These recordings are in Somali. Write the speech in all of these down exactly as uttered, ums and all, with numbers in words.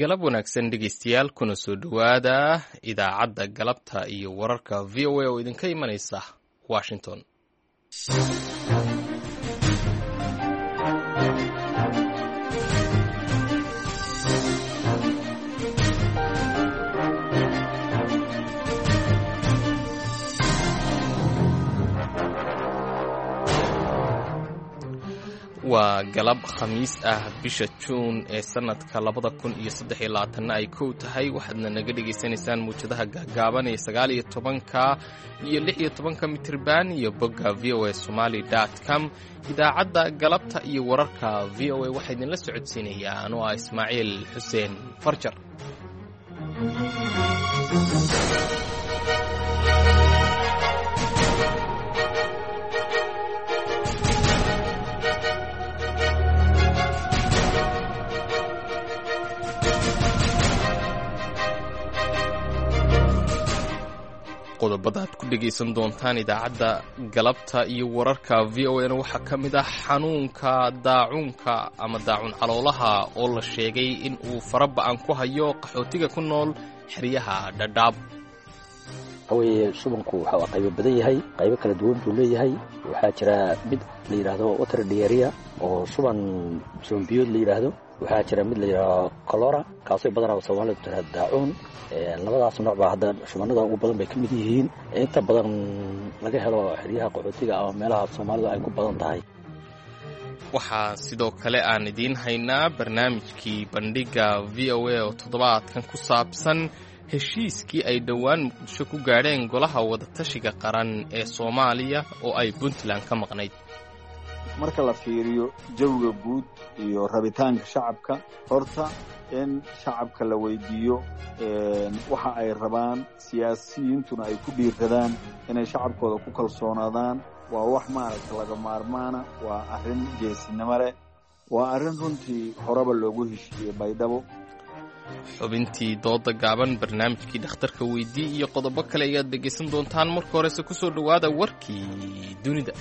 Galab wanaagsan dhegeystayaal, kuna soo dhowaada idaacadda galabta iyo wararka V O A oo idinka imanaysa Washington. Waa galab Khamiis ah, bisha Juun ee sanadka labada kun iyo saddex iyo labaatanna ay kow tahay. Waxaadna naga dhegaysanaysaan muwjadaha gaagaaban ee sagaal iyo tobanka iyo lix iyo tobanka mitirban iyo bogga V O A Somali dot com. Idaacadda galabta iyo wararka V O A waxaa idinla socodsiinayaa anoo ah Ismaaciil Xuseen Farjar. Qodobada aad ku dhegaysan doontaan idaacadda galabta iyo wararka V O A-na waxaa ka mid ah xanuunka daacuunka ama daacuun caloolaha oo la sheegay in uu faraba'an ku hayo qaxootiga ku nool xeryaha Dhadhaab. Waxaweye shubanku waxa uu qaybo badan yahay, qaybo kala duwan buu leeyahay. Waxaa jira mid la yidhaahdo water diarrhea oo shuban shuban biyood la yidhaahdo. Waxaa jira mid la yidhaahdo colora, kaasoo badanaa Soomaalidu tiraahdo daacuun. Labadaas nooc baa hadda shubanada ugu badan bay ka mid yihiin, inta badan laga helo xeryaha qaxootiga ama meelaha Soomaalidu ay ku badan tahay. Waxaa sidoo kale aan idiin haynaa barnaamijkii bandhigga V O A oo toddobaadkan ku saabsan heshiiskii ay dhowaan Muqdisho ku gaadheen golaha wadatashiga qaran ee Soomaaliya oo ay Puntland ka maqnayd. Marka la fiiriyo jawiga guud iyo rabitaanka shacabka, horta in shacabka la weydiiyo waxa ay rabaan, siyaasiyiintuna ay ku dhiiradaan inay shacabkooda ku kalsoonaadaan, waa wax maaragta laga maarmaana. Waa arrin geesinimo leh, waa arrin runtii horeba loogu heshiiyey Baydhabo. Xubintii dooda gaaban, barnaamijkii dhakhtarka weydii iyo qodobo kale ayaad dhegaysan doontaan. Marka horese ku soo dhowaada warkii dunida.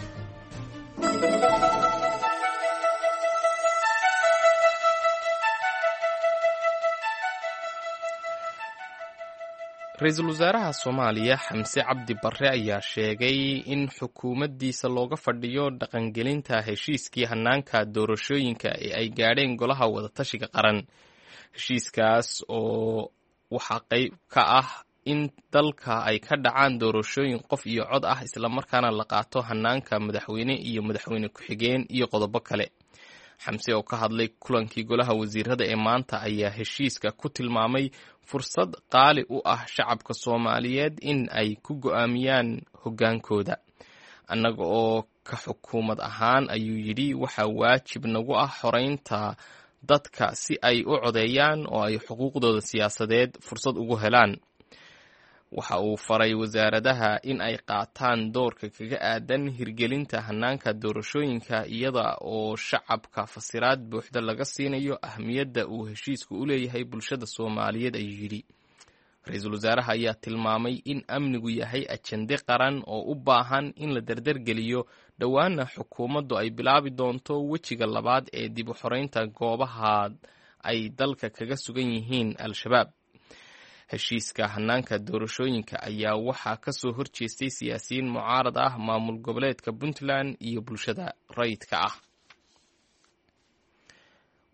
Ra-iisul wasaaraha Soomaaliya Xamse Cabdi Barre ayaa sheegay in xukuumaddiisa looga fadhiyo dhaqangelinta heshiiskii hanaanka doorashooyinka ee ay gaadheen golaha wadatashiga qaran. Heshiiskaas oo waxaa qayb ka ah in dalka ay ka dhacaan doorashooyin qof iyo cod ah, islamarkaana la qaato hanaanka madaxweyne iyo madaxweyne ku-xigeen iyo qodobo kale. Xamse oo ka hadlay kulankii golaha wasiirada ee maanta ayaa heshiiska ku tilmaamay fursad qaali u ah shacabka Soomaaliyeed in ay ku go'aamiyaan hoggaankooda. Annaga oo ka xukuumad ahaan, ayuu yidhi, waxaa waajib nagu ah xoreynta dadka si ay u codeeyaan oo ay xuquuqdooda siyaasadeed fursad ugu helaan. Waxa uu faray wasaaradaha in ay qaataan doorka kaga aadan hirgelinta hanaanka doorashooyinka, iyada oo shacabka fasiraad buuxda laga siinayo ahmiyadda uu heshiisku u leeyahay bulshada Soomaaliyeed, ayuu yidhi. Ra-iisul wasaaraha ayaa tilmaamay in amnigu yahay ajende qaran oo u baahan in la dardargeliyo, dhowaana xukuumaddu ay bilaabi doonto wejiga labaad ee dib u xoreynta goobaha ay dalka kaga sugan yihiin Al-Shabaab. Heshiiska hanaanka doorashooyinka ayaa waxaa ka soo horjeestay siyaasiyiin mucaarad ah, maamul goboleedka Puntland iyo bulshada rayidka ah.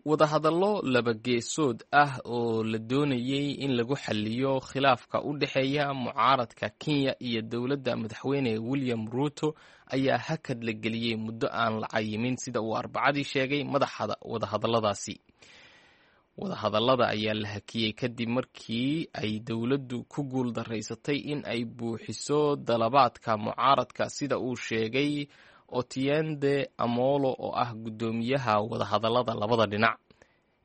Wadahadallo laba geesood ah oo la doonayey in lagu xaliyo khilaafka u dhexeeya mucaaradka Kenya iyo dowladda madaxweyne William Ruto ayaa hakad la geliyey muddo aan la cayimin, sida uu Arbacadii sheegay madaxa wadahadalladaasi. Wadahadallada ayaa la hakiyey kadib markii ay dowladdu ku guul daraysatay in ay buuxiso dalabaadka mucaaradka, sida uu sheegay Otiende Amolo oo ah guddoomiyaha wadahadallada labada dhinac.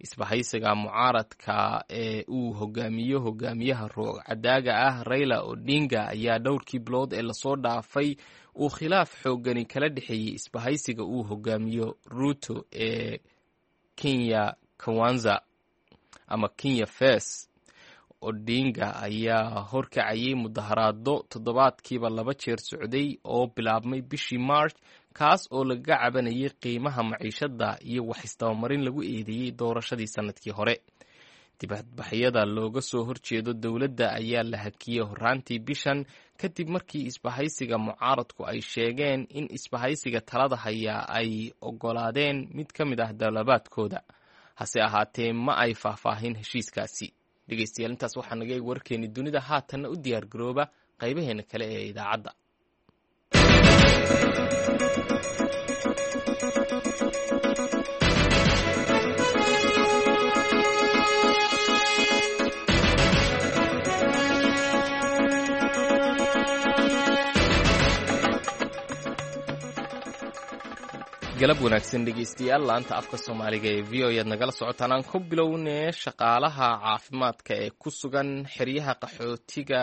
Isbahaysiga mucaaradka ee uu hogaamiyo hogaamiyaha roog cadaaga ah Raila Odinga ayaa dhowrkii bilood ee lasoo dhaafay uu khilaaf xoogani kala dhexeeyey isbahaysiga uu hogaamiyo Ruto ee Kenya Kwanza ama Kenya First. Odinga ayaa horkacayay mudaharaado toddobaadkiiba laba jeer socday oo bilaabmay bishii March, kaas oo lagaga cabanayay qiimaha maciishada iyo wax isdabamarin lagu eedeeyey doorashadii sanadkii hore. Dibadbaxyada looga soo horjeedo dowladda ayaa la hakiyey horraantii bishan kadib markii isbahaysiga mucaaradku ay sheegeen in isbahaysiga talada hayaa ay oggolaadeen mid ka mid ah dalabaadkooda. Hase ahaatee ma ay faahfaahin heshiiskaasi. Dhegeystayaal, intaas waxaa naga eeg warkeeni dunida. Haatanna u diyaar garooba qaybaheena kale ee idaacadda. Galab wanaagsan dhegeystayaal, laanta afka Soomaaliga ee V O ayaad nagala socotaan. Aan ku bilownee, shaqaalaha caafimaadka ee ku sugan xeryaha qaxootiga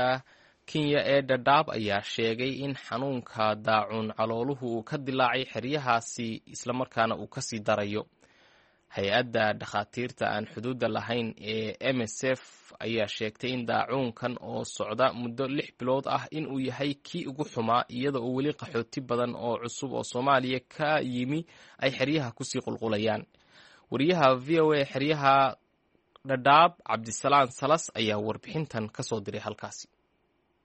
Kenya ee Dhadhaab ayaa sheegay in xanuunka daacuun calooluhu uu ka dilaacay xeryahaasi, islamarkaana uu kasii darayo. Hay-adda dhakhaatiirta aan xuduudda lahayn ee M S F ayaa sheegtay in daacuunkan oo socda muddo lix bilood ah inuu yahay kii ugu xumaa, iyada oo weli qaxooti badan oo cusub oo Soomaaliya ka yimi ay xeryaha kusii qulqulayaan. Wariyaha V O A xeryaha Dhadhaab, Cabdisalaan Salas, ayaa warbixintan kasoo diray halkaasi.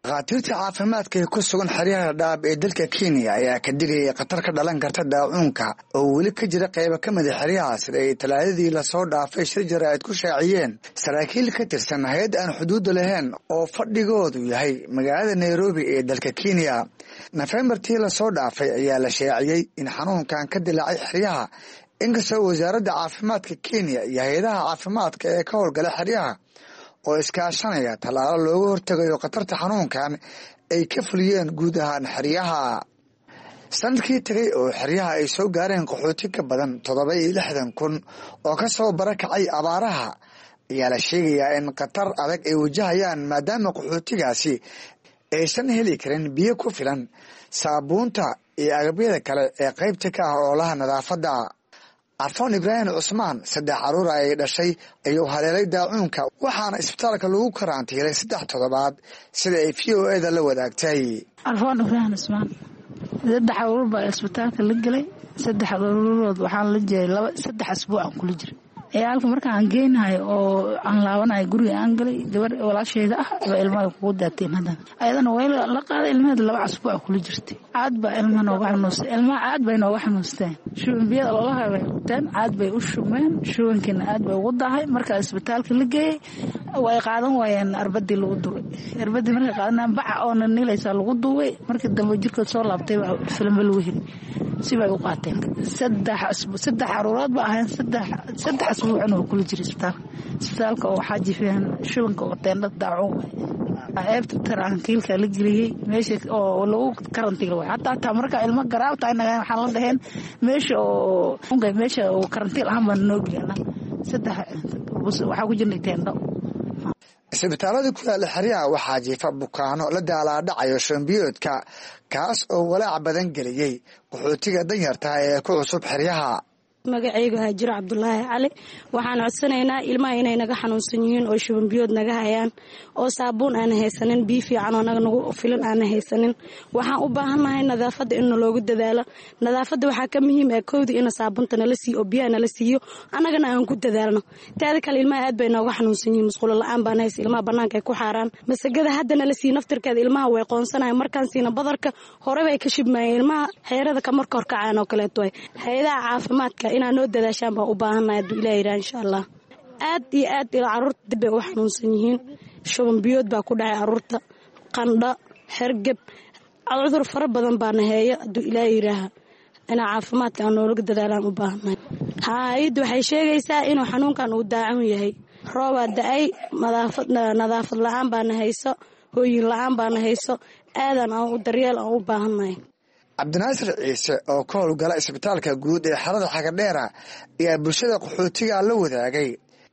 Dhakhaatiirta caafimaadka ee ku sugan xeryaha Dhadhaab ee dalka Kenya ayaa ka digayay khatar ka dhalan karta daacuunka oo weli ka jira qaybo ka mid a xeryaha, sida ay Talaadadii lasoo dhaafay shir jaraa'id ku shaaciyeen saraakiil ka tirsan hay-ad aan xuduudda lahayn oo fadhigoodu yahay magaalada Nairobi ee dalka Kenya. Nofembartii lasoo dhaafay ayaa la shaaciyey in xanuunkan ka dilaacay xeryaha, inkastoo wasaaradda caafimaadka Kenya iyo hay-adaha caafimaadka ee ka howlgala xeryaha oo iskaashanaya tallaalo looga hortegayo khatarta xanuunkan ay ka fuliyeen guud ahaan xeryaha. Sanadkii tegay oo xeryaha ay soo gaareen qaxooti ka badan toddoba iyo lixdan kun oo ka soo barakacay abaaraha ayaa la sheegayaa in khatar adag ay wajahayaan, maadaama qaxootigaasi aysan heli karin biyo ku filan, saabuunta iyo agabyada kale ee qaybta ka ah oolaha nadaafadda. Carfoon Ibraahim Cusmaan saddex caruur ay dhashay ayuu haleelay daacuunka, waxaana isbitaalka lagu karantiilay saddex toddobaad, sida ay V O A da la wadaagtay. Carfoon Ibraahim Cusmaan, saddex caruur baa isbitaalka la gelay. Saddex caruurood waxaan la jiray laba saddex asbuuc aan kula jiray ciyaalka. Markaan geynahay oo aan laabanahay guriga aan galay, gabar walaasheeda ah baa ilmaha kugu daateen. Haddana ayadana way la qaaday ilmaheeda, laba asbuuc kula jirtay. Caad baa ilmaha nooga xanuustay, ilmaha caad bay nooga xanuusteen. Shuban biyada loolaha bay qabteen, caad bay u shubmeen, shubankiina aad bay ugu daahay. Markaa isbitaalka la geeyey way qaadan waayeen arbadii lagu duray. Arbadii markay qaadanayaan, baca oo nilaysaa lagu duubay. Markii dambe jirkood soo laabtay baa filimba lagu heli sibay u qaateen. Saddex saddex caruurood ba ahayn, saddex saddex asbuucna waa kula jiray isbitaalka. Isbitaalka oo waxaa jifeen shubanka oo teendhada daacuun waay. Ceebta tarankiilka la geliyey, meesha oo lagu karantiil waay. Hataa hataa marka ilmo garaabta inaga waxaan la dhaheen meesha oo meesha oo karantiil ahaan baan noo geliyay. Saddex waxaa ku jirnay teendho. Isbitaalada ku yaala xeryaha waxaa jiifa bukaano la daalaadhacayo shambiyoodka, kaas oo walaac badan geliyey qaxootiga danyartaha ee ku cusub xeryaha. Magacaygu Haajiro Cabdulaahi Cali. Waxaan codsanaynaa ilmaha inay naga xanuunsan yihiin oo shubanbiyood naga hayaan, oo saabuun aana haysanin, biyo fiican oo naga nagu filan aana haysanin. Waxaan u baahannahay nadaafadda in naloogu dadaalo. Nadaafadda waxaa ka muhiim ah kowda ina saabunta nala siiyo oo biyaha nala siiyo, annagana aan ku dadaalno. Taada kale, ilmaha aad bay nooga xanuunsan yihiin, musqulo la-aan baan haysa, ilmaha bannaanka ay ku xaaraan. Masagada hadda nala siiyo naftirkeeda ilmaha way qoonsanayan. Markaan siina badarka hore bay ka shibmayeen ilmaha, xeerada ka marka horkacaan oo kaleeto way. Hay-adaha caafimaadka inaa noo dadaashaan baan u baahannahay, hadduu Ilaah yidhaha, insha Allah. Aad iyo aad ila carruurta dib bay u xanuunsan yihiin. Shuban biyood baa ku dhacay carruurta, qandho, hergeb, cudur fara badan baana heeyo. Hadduu Ilaah yidhaaha, inaa caafimaadka aan noolaga dadaalaan u baahannahay. Hay-adda waxay sheegaysaa inuu xanuunkan uu daacan yahay. Roobaa da-ay, nadaafad la-aan baana hayso, hooyin la-aan baana hayso. Aadan aan u daryeel aan u baahannahay. Cabdinaasir Ciise oo ka howlgala isbitaalka guud ee xerada Xagadheera ayaa bulshada qaxootiga la wadaagay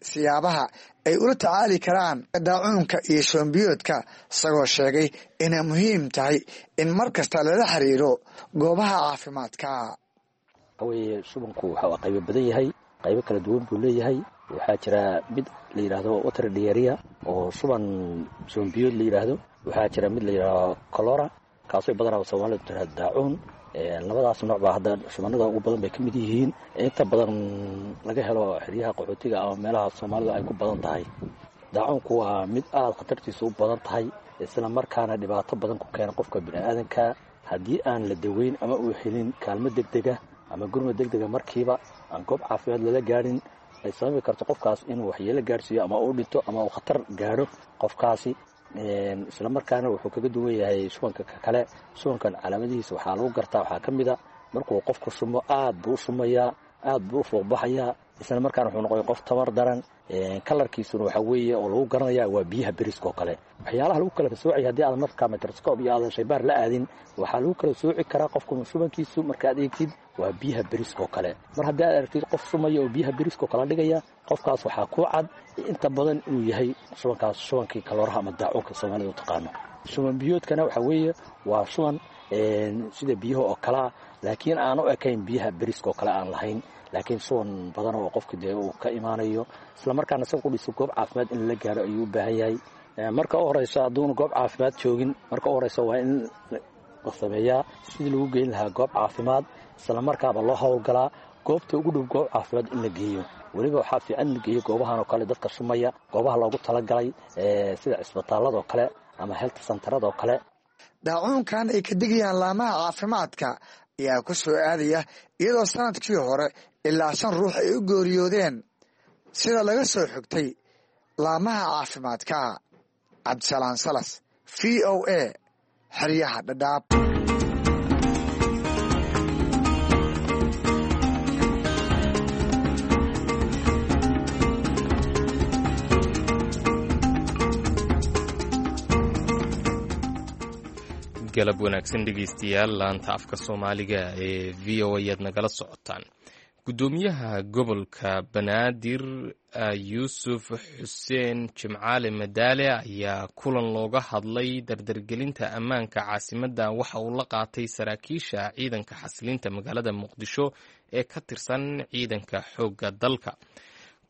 siyaabaha ay ula tacaali karaan daacuunka iyo shoombiyoodka, isagoo sheegay inay muhiim tahay in mar kasta lala xiriiro goobaha caafimaadka. Waxaweye, shubanku waxa qaybo badan yahay, qaybo kala duwan buu leeyahay. Waxaa jira mid la yidhaahdo water diarrhea oo shuban shubanbiyood la yidhaahdo. Waxaa jira mid la yidhaahdo cholera, kaasoo badanaa Soomaalidu tiraahdo daacuun. Labadaas nooc baa hadda shubanada ugu badan bay ka mid yihiin, inta badan laga helo xeryaha qaxootiga ama meelaha soomaalidu ay ku badan tahay. Daacuunku waa mid aada khatartiisa u badan tahay, isla markaana dhibaato badan ku keena qofka bini'aadanka haddii aan la daweyn ama uu helin kaalmo degdega ama gurmad degdega markiiba aan goob caafimaad lala gaadhin, ay sababi karto qofkaas inuu waxyeelo gaadhsiiyo ama uu dhinto ama uu khatar gaadho qofkaasi. Isla markaana wuxuu kaga duwan yahay shubanka kale. Shubankan calaamadihiisa waxaa lagu gartaa, waxaa ka mid a markuu qofku shumo aad buu u shumayaa, aad buu u fuuqbaxayaa, isla markaana wuxuu noqoya qof tabar daran. Kalarkiisuna waxaa weeye oo lagu garanaya waa biyaha beriska oo kale. Waxyaalaha lagu kala soocaya haddii aadan markaa microscope iyo aadan shaybaar la aadin, waxaa lagu kala sooci karaa qofku shubankiisu markaad eegtid waa biyaha beriska oo kale. Mar haddii aad aragtid qof shumaya oo biyaha beriska oo kala dhigaya, qofkaas waxaa ku cad inta badan inuu yahay shubankaas shubankii kalooraha ama daacuunka soomaalida u taqaano. Shuban biyoodkana waxaa weeye waa shuban sida biyaha oo kalea, laakiin aan u ekayn biyaha beriska oo kale aan lahayn, laakiin shuban badan oo qofka dee uu ka imaanayo, isla markaana isaga qudhiisa goob caafimaad in lala gaaro ayuu u baahan yahay. Marka u horeyso hadduuna goob caafimaad joogin, marka u horeyso waa in la sameeyaa sidii lagu geyn lahaa goob caafimaad, isla markaaba loo howlgalaa goobta ugu dhow goob caafimaad in la geeyo. Weliba waxaa fiican in la geeyo goobahan oo kale dadka shumaya, goobaha loogu talagalay sida cisbitaalladoo kale ama health centeradoo kale. Daacuunkan ay ka digayaan laamaha caafimaadka ayaa ku soo aadaya iyadoo sanadkii hore ilaa shan ruux ay u geeriyoodeen sida laga soo xigtay laamaha caafimaadka. Cabdisalaan Salas, V O A, xeryaha Dhadhaab. Galab wanaagsan dhegeystayaal, laanta afka soomaaliga ee V O A ayaad nagala socotaan. Guddoomiyaha gobolka Banaadir Yuusuf Xuseen Jimcaale Madaale ayaa kulan looga hadlay dardargelinta ammaanka caasimadda waxa uu la qaatay saraakiisha ciidanka xasilinta magaalada Muqdisho ee ka tirsan ciidanka xoogga dalka.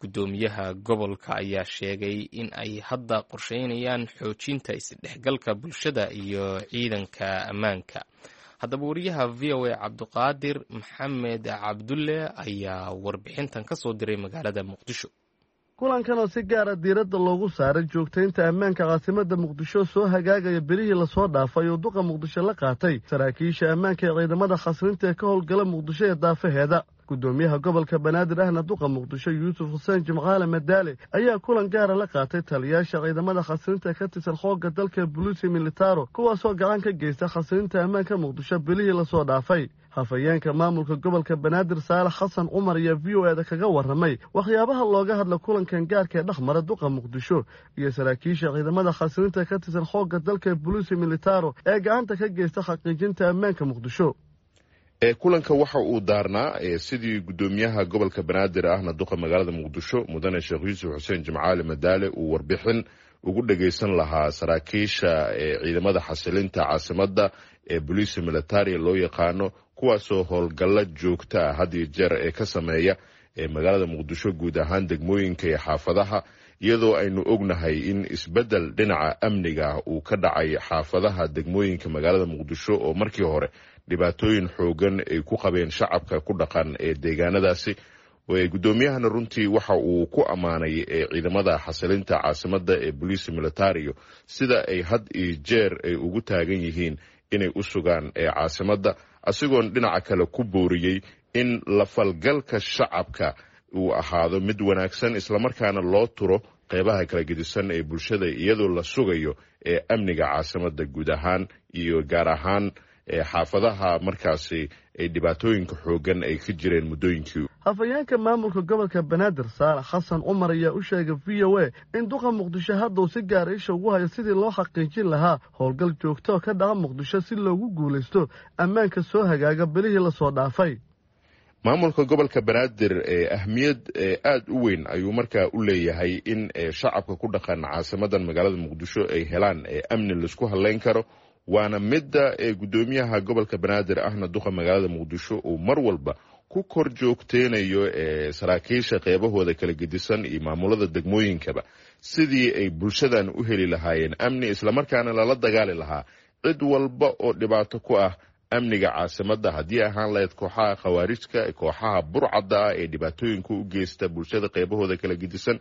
Guddoomiyaha gobolka ayaa sheegay in ay hadda qorsheynayaan xoojinta isdhexgalka bulshada iyo ciidanka ammaanka. Haddaba wariyaha V O A Cabdiqaadir Maxamed Cabdulle ayaa warbixintan ka soo diray magaalada Muqdisho. Kulankan oo si gaara diiradda loogu saaray joogtaynta ammaanka caasimadda Muqdisho soo hagaagaya bilihii lasoo dhaafay oo duqa Muqdisho la qaatay saraakiisha ammaanka ee ciidamada khasrinta ee ka howlgala Muqdisho ee daafaheeda. Guddoomiyaha gobolka Banaadir ahna duqa Muqdisho Yuusuf Xuseen Jimcaale Madaale ayaa kulan gaara la qaatay taliyaasha ciidamada khasrinta ka tirsan xoogga dalka Buluusi Militaro, kuwaasoo gacan ka geysta khasrinta ammaanka Muqdisho bilihii lasoo dhaafay. Hafayeenka maamulka gobolka Banaadir Saalax Xasan Cumar ayaa V O A-da kaga warramay waxyaabaha looga hadla kulankan gaarka ee dhexmara duqa Muqdisho iyo saraakiisha ciidamada khasrinta ka tirsan xoogga dalka Buluusi Militaro ee gacanta ka geysta xaqiijinta ammaanka Muqdisho. Kulanka waxa uu daarnaa sidii guddoomiyaha gobolka Banaadir ahna duqa magaalada Muqdisho mudane Sheekh Yuusuf Xuseen Jimcaale Madaale uu warbixin ugu dhagaysan lahaa saraakiisha ciidamada xasilinta caasimadda ee boliisi militaria loo yaqaano, kuwaasoo howlgalla joogta ah had iyo jeer ee ka sameeya magaalada Muqdisho guud ahaan degmooyinka iyo xaafadaha, iyadoo aynu ognahay in isbeddel dhinaca amniga ah uu ka dhacay xaafadaha degmooyinka magaalada Muqdisho oo markii hore dhibaatooyin xoogan ay ku qabeen shacabka ku dhaqan ee deegaanadaasi. Guddoomiyahana runtii waxa uu ku ammaanay ciidamada xasilinta caasimadda ee boliisi militario sida ay had iyo jeer ay ugu taagan yihiin inay u sugaan caasimadda, asigoon dhinaca kale ku booriyey in la falgalka shacabka uu ahaado mid wanaagsan, islamarkaana loo turo qeybaha kala gedisan ee bulshada iyadoo la sugayo ee amniga caasimadda guud ahaan iyo gaar ahaan xaafadaha markaasi ay dhibaatooyinka xoogan ay ka jireen muddooyinkii. Hafayeenka maamulka gobolka Banaadir Saalax Xasan Cumar ayaa u sheegay V O A in duqa Muqdisho hadduu si gaara isha ugu hayo sidii loo xaqiijin lahaa howlgal joogto oo ka dhaca Muqdisho si loogu guulaysto ammaanka soo hagaaga bilihii lasoo dhaafay. Maamulka gobolka Banaadir ahmiyad aada u weyn ayuu markaa u leeyahay in shacabka ku dhaqan caasimadan magaalada Muqdisho ay helaan amni laisku halleyn karo, waana midda guddoomiyaha gobolka Banaadir ahna duqa magaalada Muqdisho uu mar walba ku kor joogteynayo saraakiisha qeybahooda kala gedisan iyo maamulada degmooyinkaba sidii ay bulshadan u heli lahaayeen amni, islamarkaana lala dagaali lahaa cid walba oo dhibaato ku ah amniga caasimadda, haddii ahaan lahayd kooxaha khawaarijka, kooxaha burcadda ah ee dhibaatooyinka u geysta bulshada qeybahooda kala gedisan.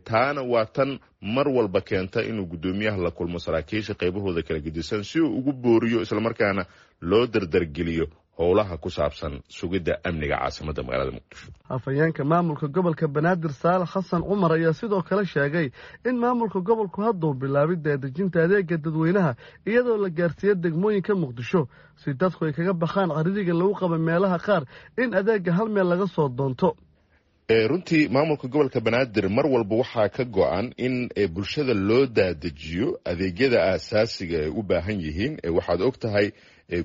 Taana waa tan mar walba keenta inuu guddoomiyaha la kulmo saraakiisha qeybahooda kala gedisan si uu ugu booriyo islamarkaana loo dardargeliyo howlaha ku saabsan sugidda amniga caasimadda magaalada Muqdisho. Afhayeenka maamulka gobolka Banaadir Saalax Xasan Cumar ayaa sidoo kale sheegay in maamulka gobolku hadduu bilaabay daadejinta adeega dadweynaha iyadoo la gaarsiiya degmooyinka Muqdisho si dadku ay kaga baxaan caririga lagu qaba meelaha qaar in adeega hal meel laga soo doonto. Runtii maamulka gobolka Banaadir mar walba waxaa ka go-an in bulshada loo daadejiyo adeegyada aasaasiga ay u baahan yihiin. Waxaad og tahay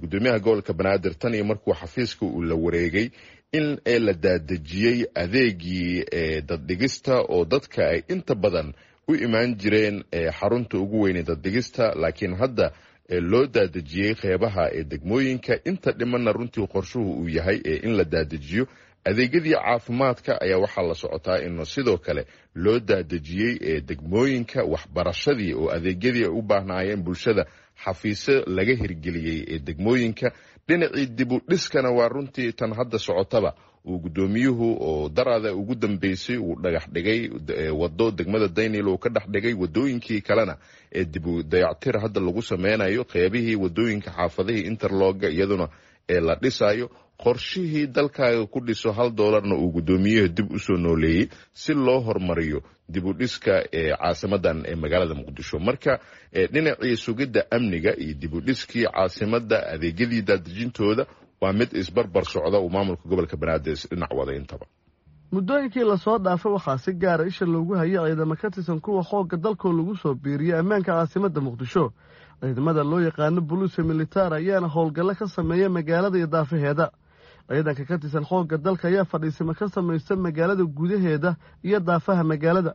gudoomiyaha gobolka Banaadir tan iyo markuu xafiiska uu la wareegay in la daadejiyey adeegii daddhigista oo dadka ay inta badan u imaan jireen xarunta ugu weynee daddhigista, laakiin hadda loo daadejiyey qeybaha ee degmooyinka. Inta dhimanna runtii qorshuhu uu yahay in la daadejiyo. Adeegyadii caafimaadka ayaa waxaa la socotaa in sidoo kale loo daadejiyey degmooyinka, waxbarashadii oo adeegyadii ay u baahnaayeen bulshada xafiisyo laga hirgeliyey ee degmooyinka. Dhinacii dibu dhiskana waa runtii tan hadda socotaba uu gudoomiyuhu oo daraada ugu dambeysay uu dhagax dhigay wado degmada Daynil uu ka dhex dhigay, wadooyinkii kalena ee dibu dayactir hadda lagu sameynayo, qeybihii wadooyinka xaafadihii interlooga iyaduna ee la dhisayo. Qorshihii dalkaaga ku dhiso hal doolarna uu gudoomiyuhu dib usoo nooleeyey si loo horumariyo dib u dhiska ee caasimadan ee magaalada Muqdisho. Marka dhinacii sugidda amniga iyo dib u dhiskii caasimadda adeegyadii daadejintooda waa mid isbarbar socda uu maamulka gobolka Banaadir isdhinac wada intaba. Muddooyinkii lasoo dhaafay waxaa si gaara isha loogu hayay ciidamo ka tirsan kuwa xoogga dalkoo lagu soo biiriyey ammaanka caasimadda Muqdisho. Ciidamada loo yaqaano buluusa militaar ayaana howlgallo ka sameeya magaalada iyo daafaheeda. Ciidanka ka tirsan xoogga dalka ayaa fadhiisimo ka samaysta magaalada gudaheeda iyo daafaha magaalada,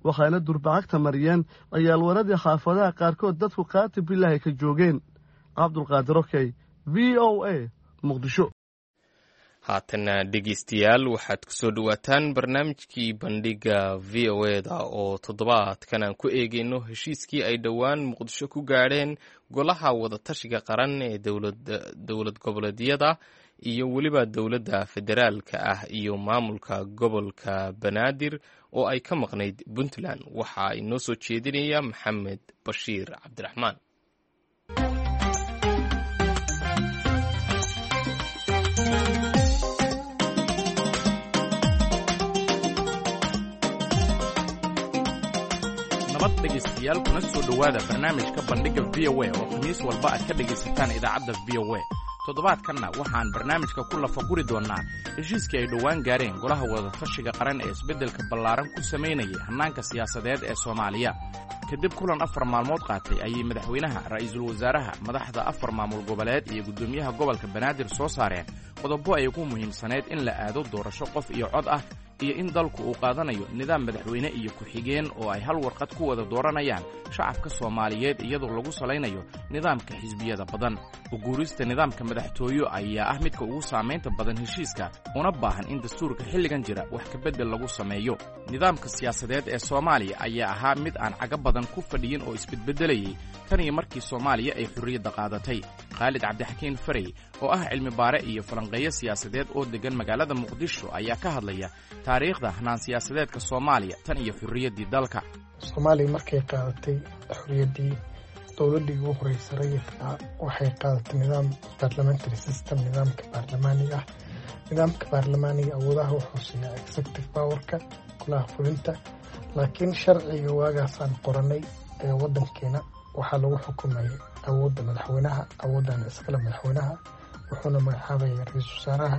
waxaana durbacagta mariyeen ciyaalwaradii xaafadaha qaarkood dadku qaati bilaahi ka joogeen. Cabdulqaadir Okey, V O A, Muqdisho. Haatana dhegeystayaal, waxaad kusoo dhowaataan barnaamijkii bandhiga V O e da oo toddobaadkan aan ku eegeyno heshiiskii ay dhowaan Muqdisho ku gaadheen golaha wadatashiga qaran ee dowlad goboleedyada iyo weliba dowladda federaalka ah iyo maamulka gobolka Banaadir oo ay ka maqnayd Puntland. Waxaa inoo soo jeedinaya Maxamed Bashiir Cabdiraxmaan. Nabad dhegaystayaal, kuna soo dhowaada barnaamijka bandhigga V O A oo khamiis walba aad ka dhegaysataan idaacadda V O A. Toddobaadkanna waxaan barnaamijka ku lafaguri doonnaa heshiiskii ay dhowaan gaareen golaha wadatashiga qaran ee isbeddelka ballaaran ku samaynayay hannaanka siyaasadeed ee Soomaaliya. Kadib kulan afar maalmood qaatay ayay madaxweynaha, ra'iisul wasaaraha, madaxda afar maamul goboleed iyo guddoomiyaha gobolka Banaadir soo saareen qodobo ay ugu muhiimsaneyd in la aado doorasho qof iyo cod ah iyo in dalku uu qaadanayo nidaam madaxweyne iyo ku-xigeen oo ay hal warqad ku wada dooranayaan shacabka Soomaaliyeed iyadoo lagu salaynayo nidaamka xisbiyada badan. Uguurista nidaamka madaxtooyo ayaa ah midka ugu saamaynta badan heshiiska, una baahan in dastuurka xilligan jira wax kabeddel lagu sameeyo. Nidaamka siyaasadeed ee Soomaaliya ayaa ahaa mid aan caga badan ku fadhiyin oo isbedbeddelayay tan iyo markii Soomaaliya ay xorriyadda qaadatay. Khaalid Cabdixakiin Farey oo ah cilmi baare iyo falanqeeyo siyaasadeed oo deggan magaalada Muqdisho ayaa ka hadlaya taariikhda hanaan siyaasadeedka Soomaaliya tan iyo xorriyaddii dalka. Soomaaliya markay qaadatay xorriyaddii, dowladdii ugu horreysay rayidka waxay qaadatay nidaam parliamentary system, nidaamka baarlamaaniga ah. Nidaamka baarlamaaniga awoodaha wuxuu siiyaa executive powerka, golaha fulinta, laakiin sharciga waagaasaan qoranay ee waddankeena waxaa lagu xukumayay awoodda madaxweynaha, awooddaana iskale madaxweynaha, wuxuuna magacaabaya ra-iisul wasaaraha.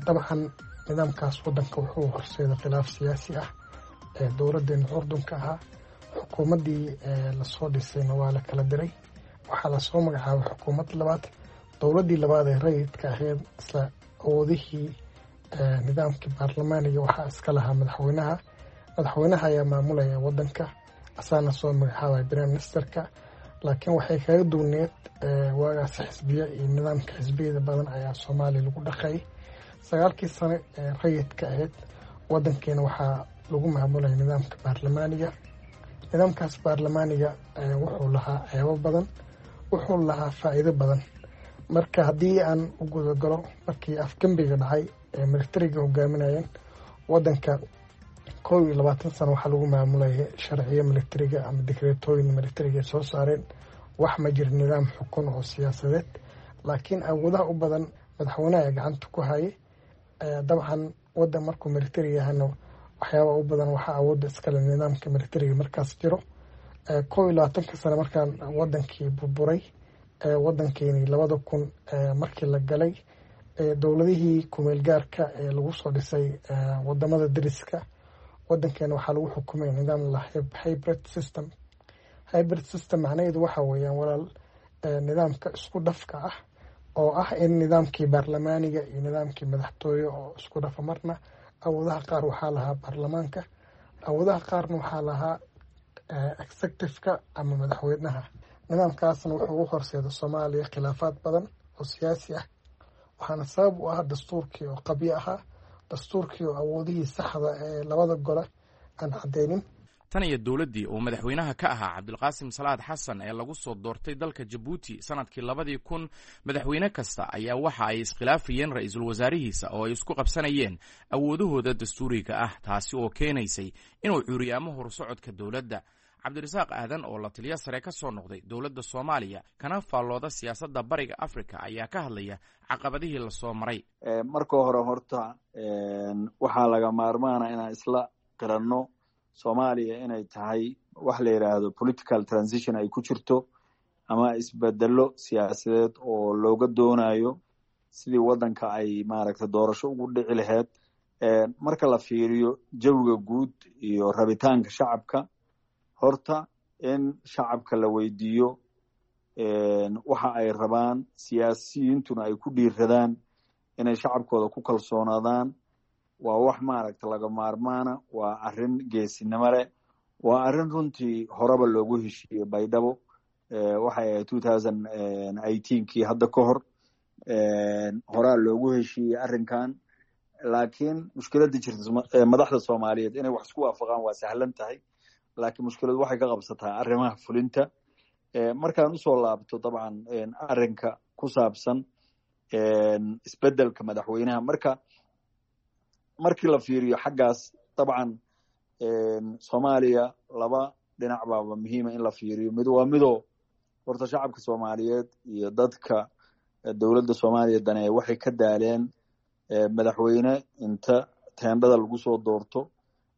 Dabcan nidaamkaas waddanka wuxuu horseeday khilaaf siyaasi ah. Dowladdeena curdunka ahaa, xukuumaddii lasoo dhisayna waa la kala diray, waxaa lasoo magacaabay xukuumad labaad. Dowladdii labaad ee rayidka ahayd isla awoodihii nidaamkii baarlamaaniga waxaa iska lahaa madaxweynaha. Madaxweynaha ayaa maamulaya waddanka, asaana soo magacaabaya prime ministerka, laakiin waxay kaga duwneed waagaas xisbiya iyo nidaamka xisbiyada badan ayaa Soomaaliya lagu dhaqay. Sagaalkii sano ee rayidka ahayd waddankeena waxaa lagu maamulaya nidaamka baarlamaaniga. Nidaamkaas baarlamaaniga wuxuu lahaa ceebo badan, wuxuu lahaa faa'iido badan. Marka haddii aan u gudagalo, markii afgembiga dhacay ee militariga hogaaminayeen wadanka, kow iyo labaatan sano waxaa lagu maamulayay sharciyo militariga ama dikreetooyin militariga ay soo saareen. Wax ma jiro nidaam xukun oo siyaasadeed, laakiin awoodaha u badan madaxweynaha ee gacanta ku hayay. Dabcan wadan markuu militari yahana, waxyaaba u badan waxaa awoodda iskale nidaamka militariga markaas jiro. Kow iyo labaatanka sano markaan wadankii burburay, wadankeeni labada kun markii la galay, dowladihii kumeel gaarka ee lagu soo dhisay wadamada dariska, wadankeena waxaa lagu xukumay nidaam la hybrid system. Hybrid system macnaheedu waxa weeyaan, walaal, nidaamka isku dhafka ah oo ah in nidaamkii baarlamaaniga iyo nidaamkii madaxtooye oo isku dhafa. Marna awoodaha qaar waxaa lahaa baarlamaanka, awoodaha qaarna waxaa lahaa executive-ka ama madaxweynaha. Nidaamkaasna wuxuu u horseeda Soomaaliya khilaafaad badan oo siyaasi ah, waxaana sabab u ah dastuurkii oo qabyo ahaa, dastuurkii oo awoodihii saxda ee labada gole aan cadeynin. Tan iyo dowladdii uu madaxweynaha ka ahaa Cabdilqaasim Salaad Xasan ee lagu soo doortay dalka Jabuuti sanadkii labadii kun, madaxweyne kasta ayaa waxa ay iskhilaafayeen ra-iisul wasaarihiisa oo ay isku qabsanayeen awoodahooda dastuuriga ah, taasi oo keenaysay inuu cuuriyaamo horsocodka dowladda. Cabdirasaaq Aadan oo la taliyo sare ka soo noqday dowladda Soomaaliya kana faallooda siyaasadda Bariga Africa ayaa ka hadlaya caqabadihii lasoo maray. Marka hore horta waxaa laga maarmaana inaan isla qiranno Soomaaliya inay tahay wax la yidhaahdo political transition ay ku jirto, ama isbedelo siyaasadeed oo looga doonayo sidii waddanka ay maaragtay doorasho ugu dhici lahayd. Marka la fiiriyo jawiga guud iyo rabitaanka shacabka, horta in shacabka la weydiiyo waxa ay rabaan, siyaasiyiintuna ay ku dhiiradaan inay shacabkooda ku kalsoonaadaan, waa wax maaragta laga maarmaana. Waa arrin geesinimo leh, waa arrin runtii horeba loogu heshiiyey Baydhabo. Waxay ahayd two thousand eighteenkii, hadda ka hor horaa loogu heshiiyey arrinkan. Laakiin mushkiladda jirta, madaxda Soomaaliyeed inay wax isku waafaqaan waa sahlan tahay, laakiin mushkiladu waxay ka qabsataa arrimaha fulinta. Markaan usoo laabto dabcan arrinka ku saabsan isbeddelka madaxweynaha, marka markii la fiiriyo xaggaas, dabcan Soomaaliya laba dhinac baaba muhiima in la fiiriyo. Mid waa midoo horta shacabka Soomaaliyeed iyo dadka dowladda Soomaaliya daneeya waxay ka daaleen madaxweyne inta teendhada lagu soo doorto,